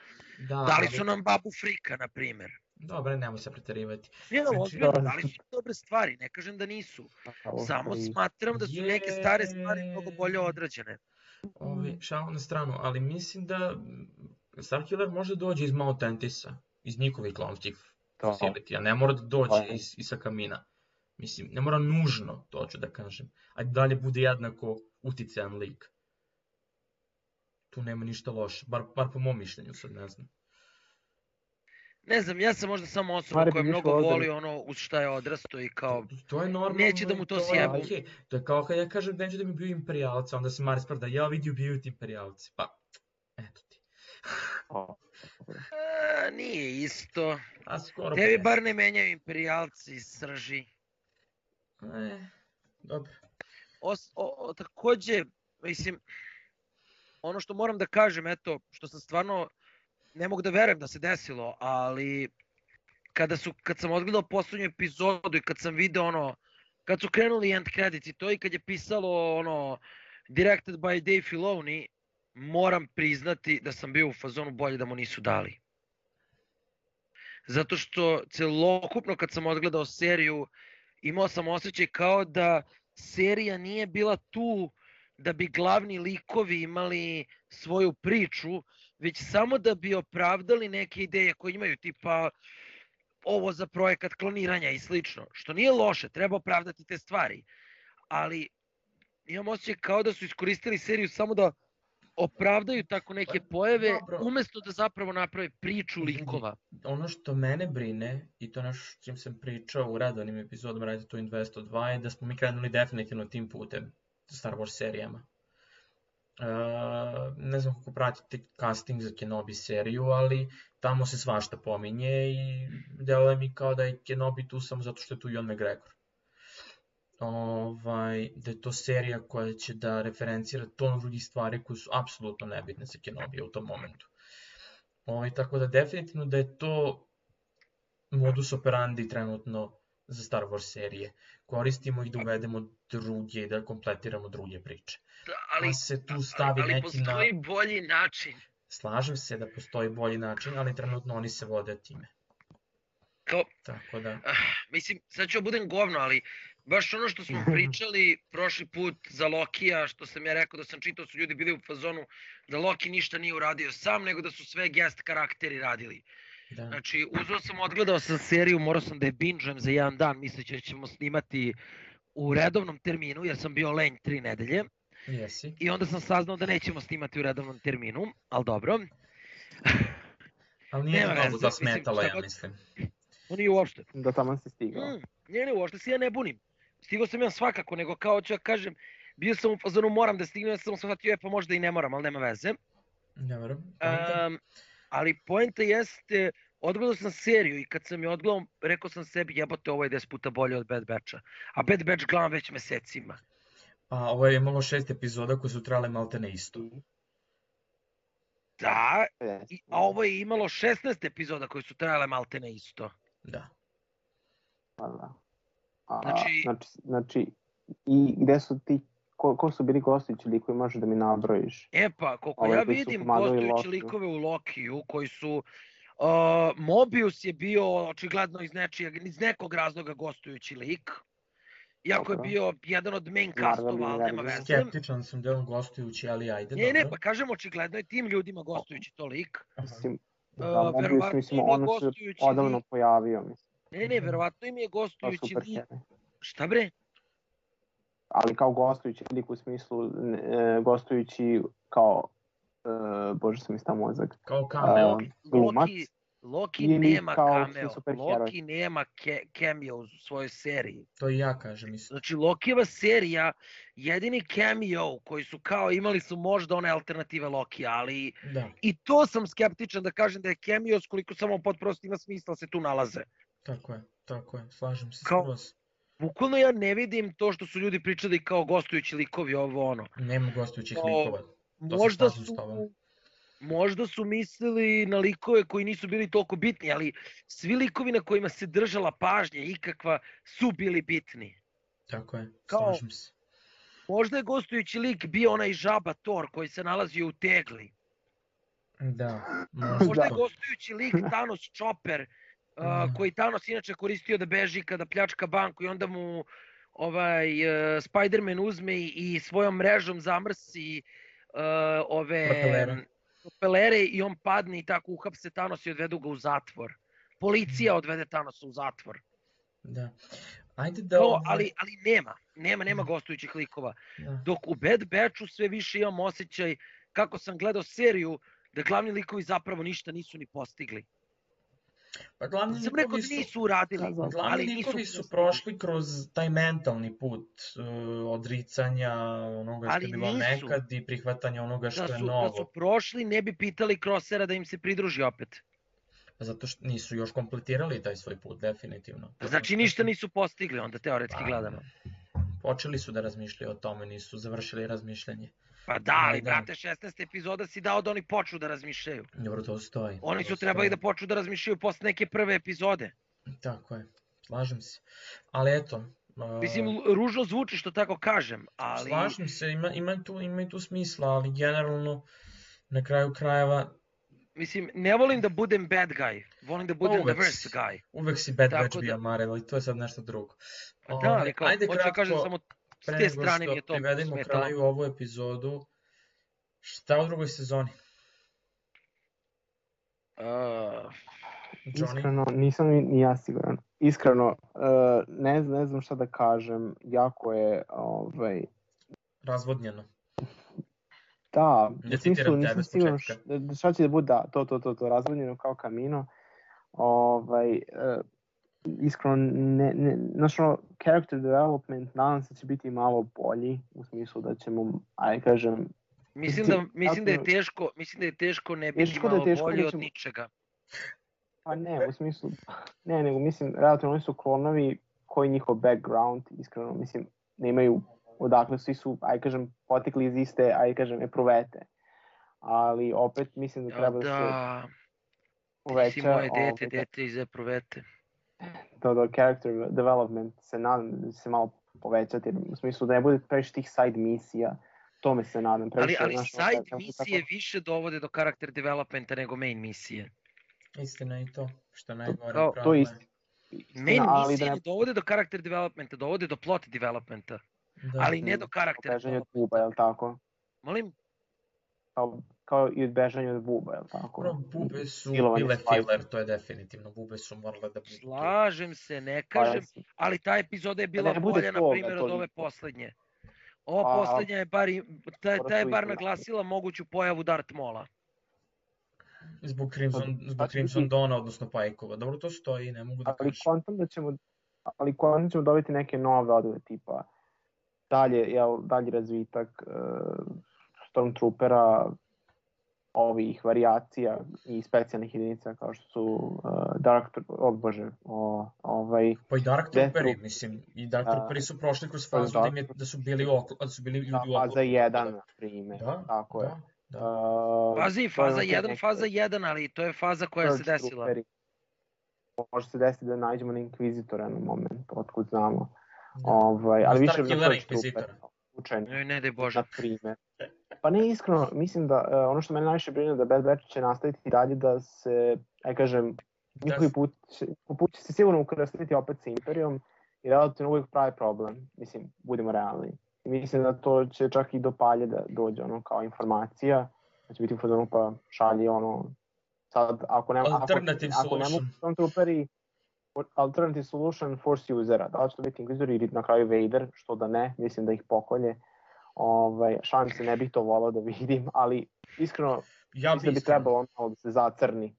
Dali su nam Babu Frika, na primer. Dobre, nemoj se preterivati. Dali su dobre stvari, ne kažem da nisu. Samo smatram da su neke stare stvari mnogo bolje odrađene. Šalu na stranu, ali mislim da Starkiller može dođe iz Mount Antisa, iz njihovih klonskih facility, a ne mora da dođe iz Kamina. Mislim, ne mora nužno, to ću da kažem, a dalje bude jednako uticajan lik. Tu nema ništa loše, bar po mom mišljenju, sad ne znam. Ne znam, ja sam možda samo osoba koja mnogo voli ono uz šta je odrasto i kao neće da mu to sjebu. To je kao kad ja kažem neću da mi ubiju imperijalca, onda se Mari sprda, ja vidi ubiju ti imperijalci, pa eto ti. Nije isto. Tebi bar ne menjaju imperijalci iz srži. Dobro. Takođe, mislim, ono što moram da kažem, eto, što sam stvarno, ne mogu da verujem da se desilo, ali kad sam odgledao poslednju epizodu i kad sam video kad su krenuli end credits i to i kad je pisalo directed by Dave Filoni, moram priznati da sam bio u fazonu bolje da mu nisu dali. Zato što celokupno kad sam odgledao seriju, imao sam osjećaj kao da serija nije bila tu da bi glavni likovi imali svoju priču, već samo da bi opravdali neke ideje koje imaju, tipa ovo za projekat kloniranja i slično, što nije loše, treba opravdati te stvari, ali imam osjećaj kao da su iskoristili seriju samo da opravdaju tako neke pojave, umesto da zapravo naprave priču likova. Ono što mene brine, i to nešto s čim sam pričao u redovnim epizodama Radio Twin 202, je da smo mi krenuli definitivno tim putem sa Star Wars serijama. Ne znam kako pratite casting za Kenobi seriju, ali tamo se svašta pominje i deluje mi kao da je Kenobi tu samo zato što je tu Ewan McGregor. Da je to serija koja će da referencira ton drugih stvari koje su apsolutno nebitne za Kenobija u tom momentu. Tako da definitivno da je to modus operandi trenutno za Star Wars serije. Koristimo ih da uvedemo druge i da kompletiramo druge priče. Ali postoji bolji način. Slažem se da postoji bolji način, ali trenutno oni se vode time. Tako da... Mislim, sad ću budem govno, ali baš ono što smo pričali prošli put za Lokija, što sam ja rekao da sam čitao, su ljudi bili u fazonu da Loki ništa nije uradio sam, nego da su sve guest karakteri radili. Znači, odgledao sam seriju, morao sam da je binge-ujem za jedan dan, misleći da ćemo snimati u redovnom terminu, jer sam bio lenj 3 nedelje. I onda sam saznao da nećemo snimati u redovnom terminu, ali dobro. Ali nije mnogo zasmetalo, ja mislim. Nije uopšte. Da tamo si stigao. Nije uopšte, se ja ne bunim. Stigao sam ja svakako, nego kao ću ja kažem, bio sam u fazonu moram da stignem, ja sam shvatio, pa možda i ne moram, ali nema veze. Ne moram. Ali poenta jeste odgledao sam seriju i kad sam je odgledao, rekao sam sebi jebote ovo je 10 puta bolje od Bad Batcha. A Bad Batch gledam već mesecima. A ovo je imalo 6 epizoda koje su trajale maltene isto. Da, a ovo je imalo 16 epizoda koje su trajale maltene isto. Da. Znači, i gde su ti, ko su bili gostujući likovi, možeš da mi nabrojiš? E pa, koliko ja vidim gostujući likove u Lokiju koji su... Mobius je bio očigledno iz nekog razloga gostujući lik. Iako je bio jedan od main castova, ali nema veze. Skeptičan sam da je on gostujući, ali ajde, dobro. Ne, pa kažem očigledno je tim ljudima gostujući to lik. Verovatno im je gostujući odavno pojavio, mislim. Ne, verovatno im je gostujući lik. Šta bre? Ali kao gostujući lik u smislu, gostujući kao, bože sam mi stao mozak. Kao cameo. Glumac. Loki nema cameo, Loki nema cameo u svojoj seriji. To i ja kažem isto. Znači Lokijeva serija, jedini cameo koji su kao imali su možda one alternative Loki, ali i to sam skeptičan da kažem da je cameo koliko samo potprosto ima smisla se tu nalaze. Tako je, slažem se skroz. Bukvalno ja ne vidim to što su ljudi pričali kao gostujući likovi ovo ono. Nema gostujućih likova. Možda su mislili na likove koji nisu bili toliko bitni, ali svi likovi na kojima se držala pažnja ikakva su bili bitni. Tako je, slažem se. Možda je gostujući lik bio onaj žaba Thor koji se nalazio u tegli. Da. Možda je gostujući lik Thanos Chopper koji Thanos inače koristio da beži kada pljačka banku i onda mu Spider-Man uzme i svojom mrežom zamrsi propelere i on padne i tako uhapse Thanos i odvedu ga u zatvor. Policija odvede Thanosa u zatvor. Da. Ali nema gostujućih likova. Dok u Bad Batchu sve više imam osjećaj, kako sam gledao seriju, da glavni likovi zapravo ništa nisu ni postigli. Pa glavni likovi su prošli kroz taj mentalni put odricanja onoga što je bilo nekad i prihvatanja onoga što je novo. Da su prošli, ne bi pitali Crossera da im se pridruži opet. Zato što nisu još kompletirali taj svoj put, definitivno. Znači ništa nisu postigli, onda teoretski gledano. Počeli su da razmišljaju o tome, nisu završili razmišljanje. Pa da, ali brate, 16 epizoda si dao da oni počnu da razmišljaju. Dobro, to stoji. Oni su trebali da počnu da razmišljaju posle neke prve epizode. Tako je, slažem se. Ali eto... Mislim, ružno zvuči što tako kažem, ali... Slažem se, ima i tu smisla, ali generalno, na kraju krajeva... Mislim, ne volim da budem bad guy, volim da budem the worst guy. Uvek si bad batch bio, Marel, ali to je sad nešto drugo. Da, ali kao, hoću da kažem samo... S te strane mi je to smetalo. Pre nego što privedemo kraju ovu epizodu, šta u drugoj sezoni? Iskreno, nisam ni ja siguran. Iskreno, ne znam šta da kažem, jako je... Razvodnjeno. Da, u smislu nisam siguran šta će da bude, to, razvodnjeno kao kamino. Iskreno, znaš ono, character development nadam se će biti malo bolji, u smislu da ćemo, kažem... Mislim da je teško ne biti malo bolji od ničega. Pa ne, u smislu, nego mislim, relativno oni su klonovi koji njihov background, iskreno, mislim, nemaju odakle, svi su, kažem, potekli iz iste, kažem, epruvete. Ali opet mislim da treba da se poveća... Ti si moje dete iz epruvete. To character development se nadam da se malo povećati, u smislu da ne bude previše tih side misija, tome se nadam. Ali side misije više dovode do character developmenta nego main misije. Istina i to, što najgore pravno. To je istina. Main misije ne dovode do character developmenta, dovode do plot developmenta, ali ne do character developmenta. Bežanje od buba, je li tako? Molim? Kao i od bežanja od buba, je li tako? Bube su bile filler, to je definitivno, bube su morale da budu. Slažem se, ne kažem, ali ta epizoda je bila bolja, na primjer, od ove poslednje. Ova poslednja je bar naglasila moguću pojavu Darth Maula. Zbog Crimson Dawna, odnosno Pajkova. Dobro, to stoji, ne mogu da kažem. Ali kontam ćemo dobiti neke nove odove, tipa dalji razvitak Stormtroopera, ovih varijacija i specijalnih jedinica kao što su Pa i Dark Death Trooperi, Troop, mislim, i Dark Trooperi su prošli kroz fazu da su bili ljudi u oklopu. faza 1, na primjer, tako je. Pazi, faza 1, ali to je faza koja se desila. Trooperi. Može se desiti da nađemo na Inkvizitora na moment, otkud znamo. Ali više na Purge Troopera. Ne daj Bože. Na primjer. Pa ne, iskreno, mislim da ono što mene najviše brine da Bad Batch će nastaviti dalje da se, njihovi put će se sigurno ukrstiti opet sa Imperijom i relativno uvijek pravi problem, mislim, budemo realni. I mislim da to će čak i do Palje da dođe kao informacija, da će biti u fazonu pa šalji sad ako ne mogu Stormtrooperi, alternative solution force usera, da li će to biti Inquisitor ili na kraju Vader, što da ne, mislim da ih pokolje. Šalim se, ne bih to volao da vidim, ali iskreno mislim da bi trebalo da se zacrni,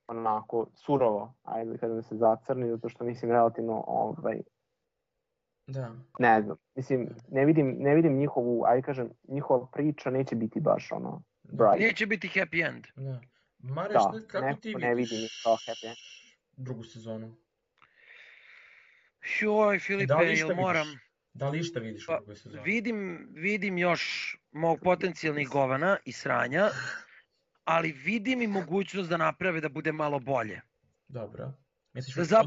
onako surovo, ajde da se zacrni, zato što mislim relativno, ne znam, mislim, ne vidim njihovu, njihova priča neće biti baš bright. Neće biti happy end. Mareš, kako ti ne vidim kao happy end. Drugu sezonu? Joj, Filipe, jel moram? Da li išta vidiš u drugoj sezoni? Vidim još mog potencijalnih govana i sranja, ali vidim i mogućnost da naprave da bude malo bolje. Dobro. Misliš da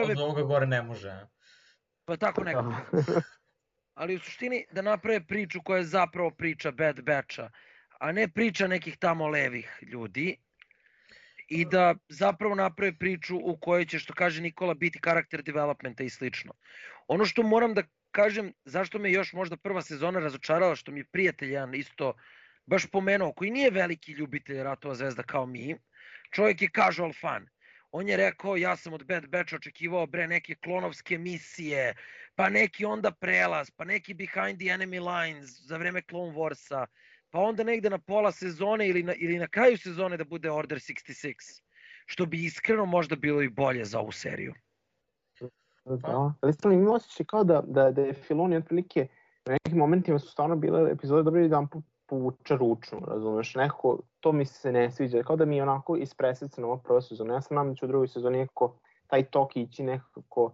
od ovoga gore ne može? Pa tako nekako. Ali u suštini da naprave priču koja je zapravo priča Bad Batcha, a ne priča nekih tamo levih ljudi. I da zapravo naprave priču u kojoj će, što kaže Nikola, biti karakter developmenta i slično. Ono što moram da kažem, zašto me još možda prva sezona razočarala, što mi je prijatelj jedan isto baš pomenuo, koji nije veliki ljubitelj Ratova zvezda kao mi, čovjek je casual fan. On je rekao, ja sam od Bad Batcha očekivao neke klonovske misije, pa neki onda prelaz, pa neki behind the enemy lines za vreme Clone Warsa, pa onda negde na pola sezone ili na kraju sezone da bude Order 66, što bi iskreno možda bilo i bolje za ovu seriju. Da, ali stvarno imam osjećaj kao da je Filoni otprilike u nekim momentima su stvarno bile epizode dobro jedan povuče ručno, razumeš, nekako to mi se ne sviđa, kao da mi je onako ispresecano ovo prvo sezonu. Ja sam nam da će u drugoj sezoni nekako taj tok ići nekako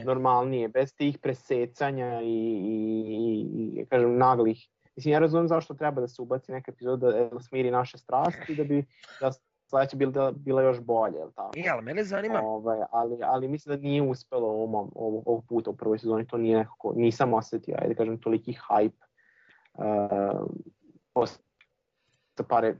normalnije, bez tih presecanja i kažem naglih. Mislim, ja razumijem zašto treba da se ubaci neka epizoda da smiri naše strasti, da bi sledeća bila još bolje, jel tako? Ali mene zanima. Ali mislim da nije uspelo ovog puta u prvoj sezoni, to nije nekako, nisam osjetio, ajde kažem, toliki hype. Sa pare,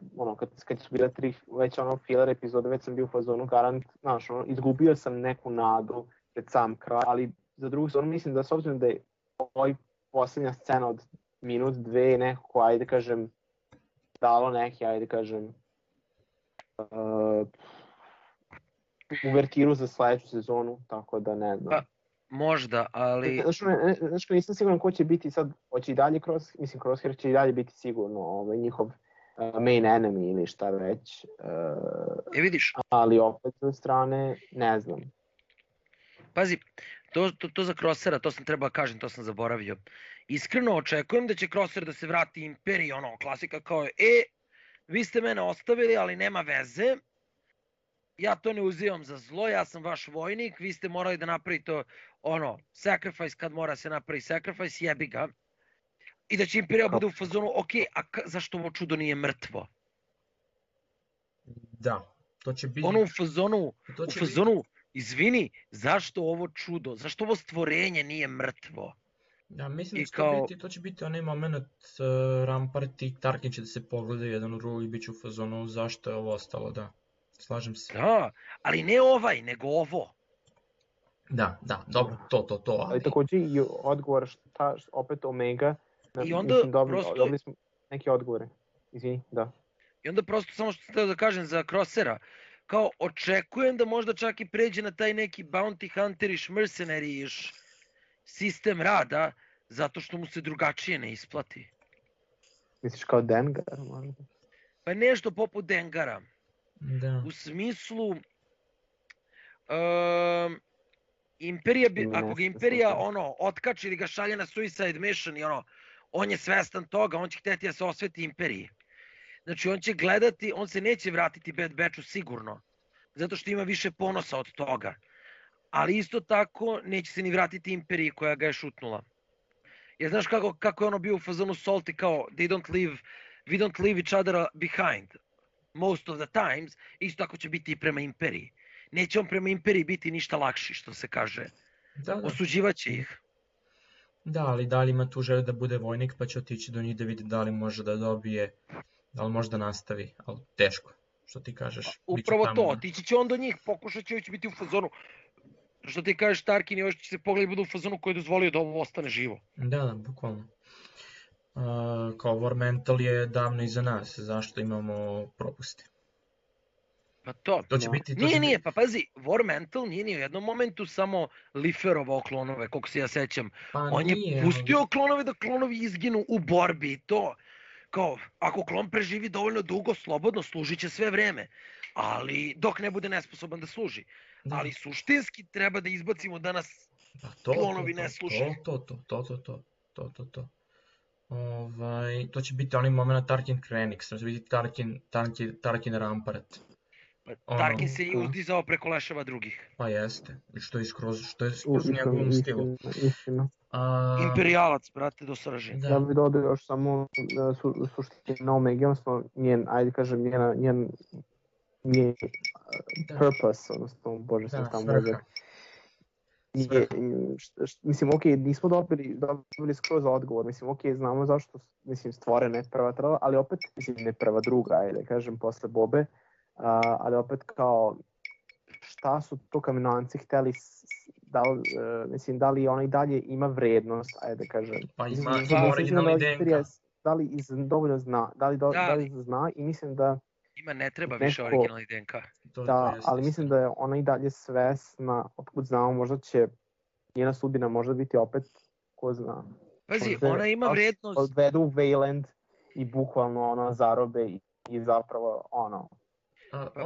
kad su bile 3 već filler epizode, već sam bio u fazonu garant, znaš, izgubio sam neku nadu pred sam kraj, ali za drugu sezonu mislim da s obzirom da je ovaj posljednja scena od minut, dve, nekako, ajde kažem, dalo neki, ajde kažem, uvertiru za sledeću sezonu, tako da ne znam. Možda, ali... Znaš, nisam siguran ko će biti sad, hoće i dalje Crosshair će i dalje biti sigurno njihov main enemy ili šta već. Vidiš. Ali opet s strane, ne znam. Pazi, to za Crosshaira, to sam trebao kažem, to sam zaboravio. Iskreno očekujem da će Crosshair da se vrati Imperiji, klasika kao je, vi ste mene ostavili, ali nema veze. Ja to ne uzimam za zlo, ja sam vaš vojnik, vi ste morali da napravite sacrifice kad mora se napravi sacrifice, jebi ga. I da će Imperija bude u fazonu, a zašto ovo čudo nije mrtvo? Da, to će biti... U fazonu, izvini, zašto ovo čudo, zašto ovo stvorenje nije mrtvo? Ja mislim da to će biti onaj moment Rampart i Tarkin će da se pogledaju jedan u drugi i bit će u fazonu zašto je ovo ostalo, da. Slažem se. Da, ali ne ovaj, nego ovo. Da, dobro, to. Ali također i odgovor opet Omega. I onda prosto... Dobili smo neke odgovore. Izvini, da. I onda prosto samo što sam da kažem za Crosshaira, kao očekujem da možda čak i pređe na taj neki bounty hunteriš, mercenary-iš sistem rada, zato što mu se drugačije ne isplati. Misliš kao Dengar možda? Pa nešto poput Dengara. Da. U smislu Imperija ako ga Imperija otkači ili ga šalje na suicide mission i on je svestan toga, on će hteti da se osveti Imperiji. Znači on će gledati, on se neće vratiti Bad Batchu sigurno, zato što ima više ponosa od toga. Ali isto tako neće se ni vratiti Imperiji koja ga je šutnula. Jer znaš kako je ono bio u fazonu Salty kao we don't leave each other behind most of the times, isto tako će biti i prema Imperiji. Neće on prema Imperiji biti ništa lakši, što se kaže. Da. Osuđivaće ih. Da, ali da li ima tu želju da bude vojnik, pa će otići do njih da vidi da li može da dobije, da li može da nastavi, ali teško, što ti kažeš. Upravo to, otići će on do njih, pokušat će biti u fazonu. Što ti kažeš, Tarkin i još će se pogledati budu u fazonu koji je dozvolio da ovo ostane živo. Da, bukvalno. Kao War Mental je davno iza nas, zašto imamo propuste? Pa to će biti... Nije, pa pazi, War Mental nije ni u jednom momentu samo liferovao klonove, koliko se ja sećam. On je pustio klonove da klonovi izginu u borbi i to. Kao, ako klon preživi dovoljno dugo, slobodno služit će sve vreme. Ali dok ne bude nesposoban da služi. Da. Ali suštinski treba da izbacimo da nas klonovi ne slušaju. To će biti onaj moment Tarkin Krenix, to će biti Tarkin Rampart. Tarkin se i uzdizao preko leševa drugih. Pa jeste, što je skroz u njegovom stilu. Imperijalac, brate, do srži. Ja bih dodao još samo suštinu Omega, odnosno njen, ajde kažem, njen purpose, odnosno, bože sam tamo mozak. Mislim, nismo dobili skroz odgovor, mislim, znamo zašto, mislim, stvore ne prva trala, ali opet, mislim, ne prva druga, ajde kažem, posle Bobe, ali opet kao, šta su to Kamenovanci hteli, da li ona i dalje ima vrednost, ajde da kažem. Pa ima originalni DNK. Da li dovoljno zna, da li zna i mislim da... Ima ne treba više originalni DNK. Da, ali mislim da je ona i dalje svesna, otkud znamo, možda će njena sudbina možda biti opet, ko zna. Pazi, ona ima vrednost. Odvedu u Wayland i bukvalno ona zarobe i zapravo ono...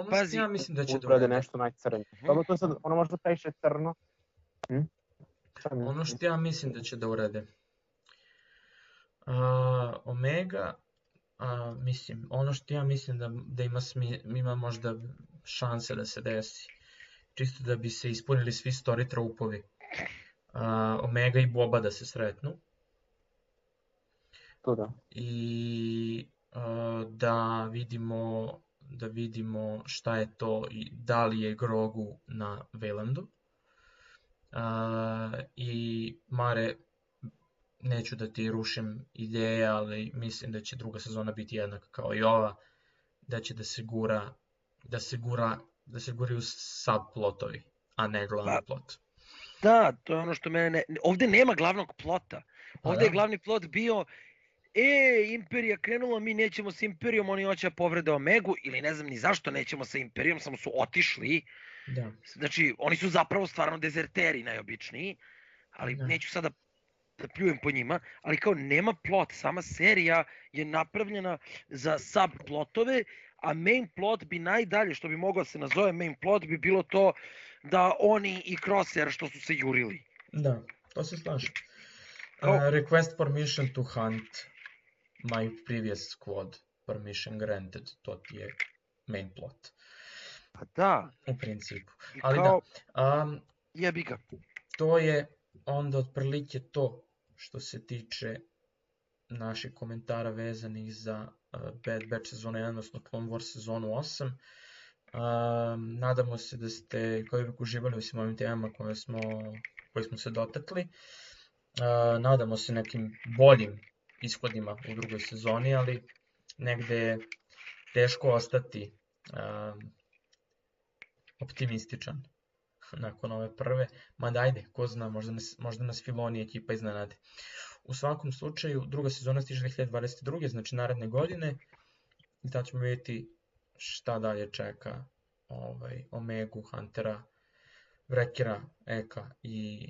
Pazi, ja mislim da će da urade nešto najcrnije. Dobro, to je sad, ono možda previše crno. Ono što ja mislim da će da urade. Omega, mislim, ono što ja mislim da ima možda šanse da se desi. Čisto da bi se ispunili svi story tropovi. Omega i Boba da se sretnu. To da. I da vidimo šta je to i da li je Grogu na Waylandu. I Mare, neću da ti rušim ideje, ali mislim da će druga sezona biti jednaka kao i ova, da će da se guraju subplotovi, a ne glavni plot. Da, to je ono što mene ovde nema glavnog plota. Ovde je glavni plot bio Imperija krenula, mi nećemo sa Imperijom, oni hoće da povrede Omegu, ili ne znam ni zašto nećemo sa Imperijom, samo su otišli. Da. Znači, oni su zapravo stvarno dezerteri najobičniji, ali neću sada da pljujem po njima, ali kao nema plot, sama serija je napravljena za subplotove, a main plot bi najdalje, što bi moglo se nazove main plot, bi bilo to da oni i Crosshair što su se jurili. Da, to se slažem. Request permission to hunt my previous squad, permission granted, to ti je main plot. Pa da. U principu. Ali kao, jebi ga. To je onda otprilike to što se tiče naših komentara vezanih za Bad Batch sezonu 1, odnosno Clone Wars sezonu 8. Nadamo se da ste kao uvijek uživali u svim ovim temama koje smo se dotakli. Nadamo se nekim boljim ishodima u drugoj sezoni, ali negde je teško ostati optimističan nakon ove prve, mada ajde, ko zna, možda nas Filoni ekipa iznenade. U svakom slučaju, druga sezona stiže 2022. znači naredne godine, i tad ćemo vidjeti šta dalje čeka Omegu, Huntera, Wreckera, Eka i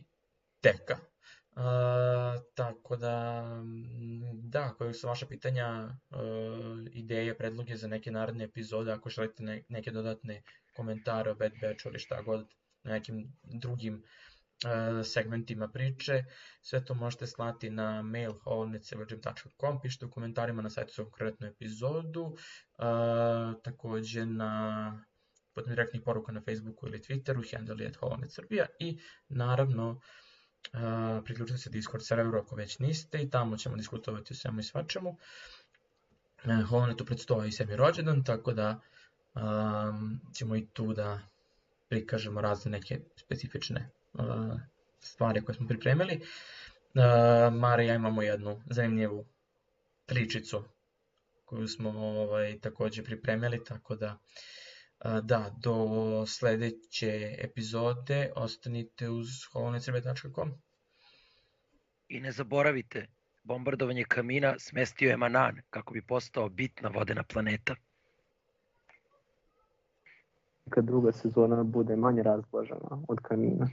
Teka. Tako da, koje su vaša pitanja, ideje, predloge za neke naredne epizode, ako želite neke dodatne komentare o Bad Batchu ili šta god, na nekim drugim segmentima priče. Sve to možete slati na mail holonetsevergym.com, pišite u komentarima na sajtu za konkretnu epizodu, takođe putem direktnih poruka na Facebooku ili Twitteru, handle je @holonetsrbija i naravno priključite se Discord serveru ako već niste i tamo ćemo diskutovati o svemu i svačemu. Holonetu predstoji 7. rođendan, tako da ćemo i tu da prikažemo razne neke specifične stvari koje smo pripremili. Mara i ja imamo jednu zanimljivu pričicu koju smo takođe pripremili, tako da do sledeće epizode ostanite uz holonetsrbija.com. I ne zaboravite, bombardovanje kamina smestio je Manan kako bi postao bitna vodena planeta. Kad druga sezona bude manje razblažena od kamina.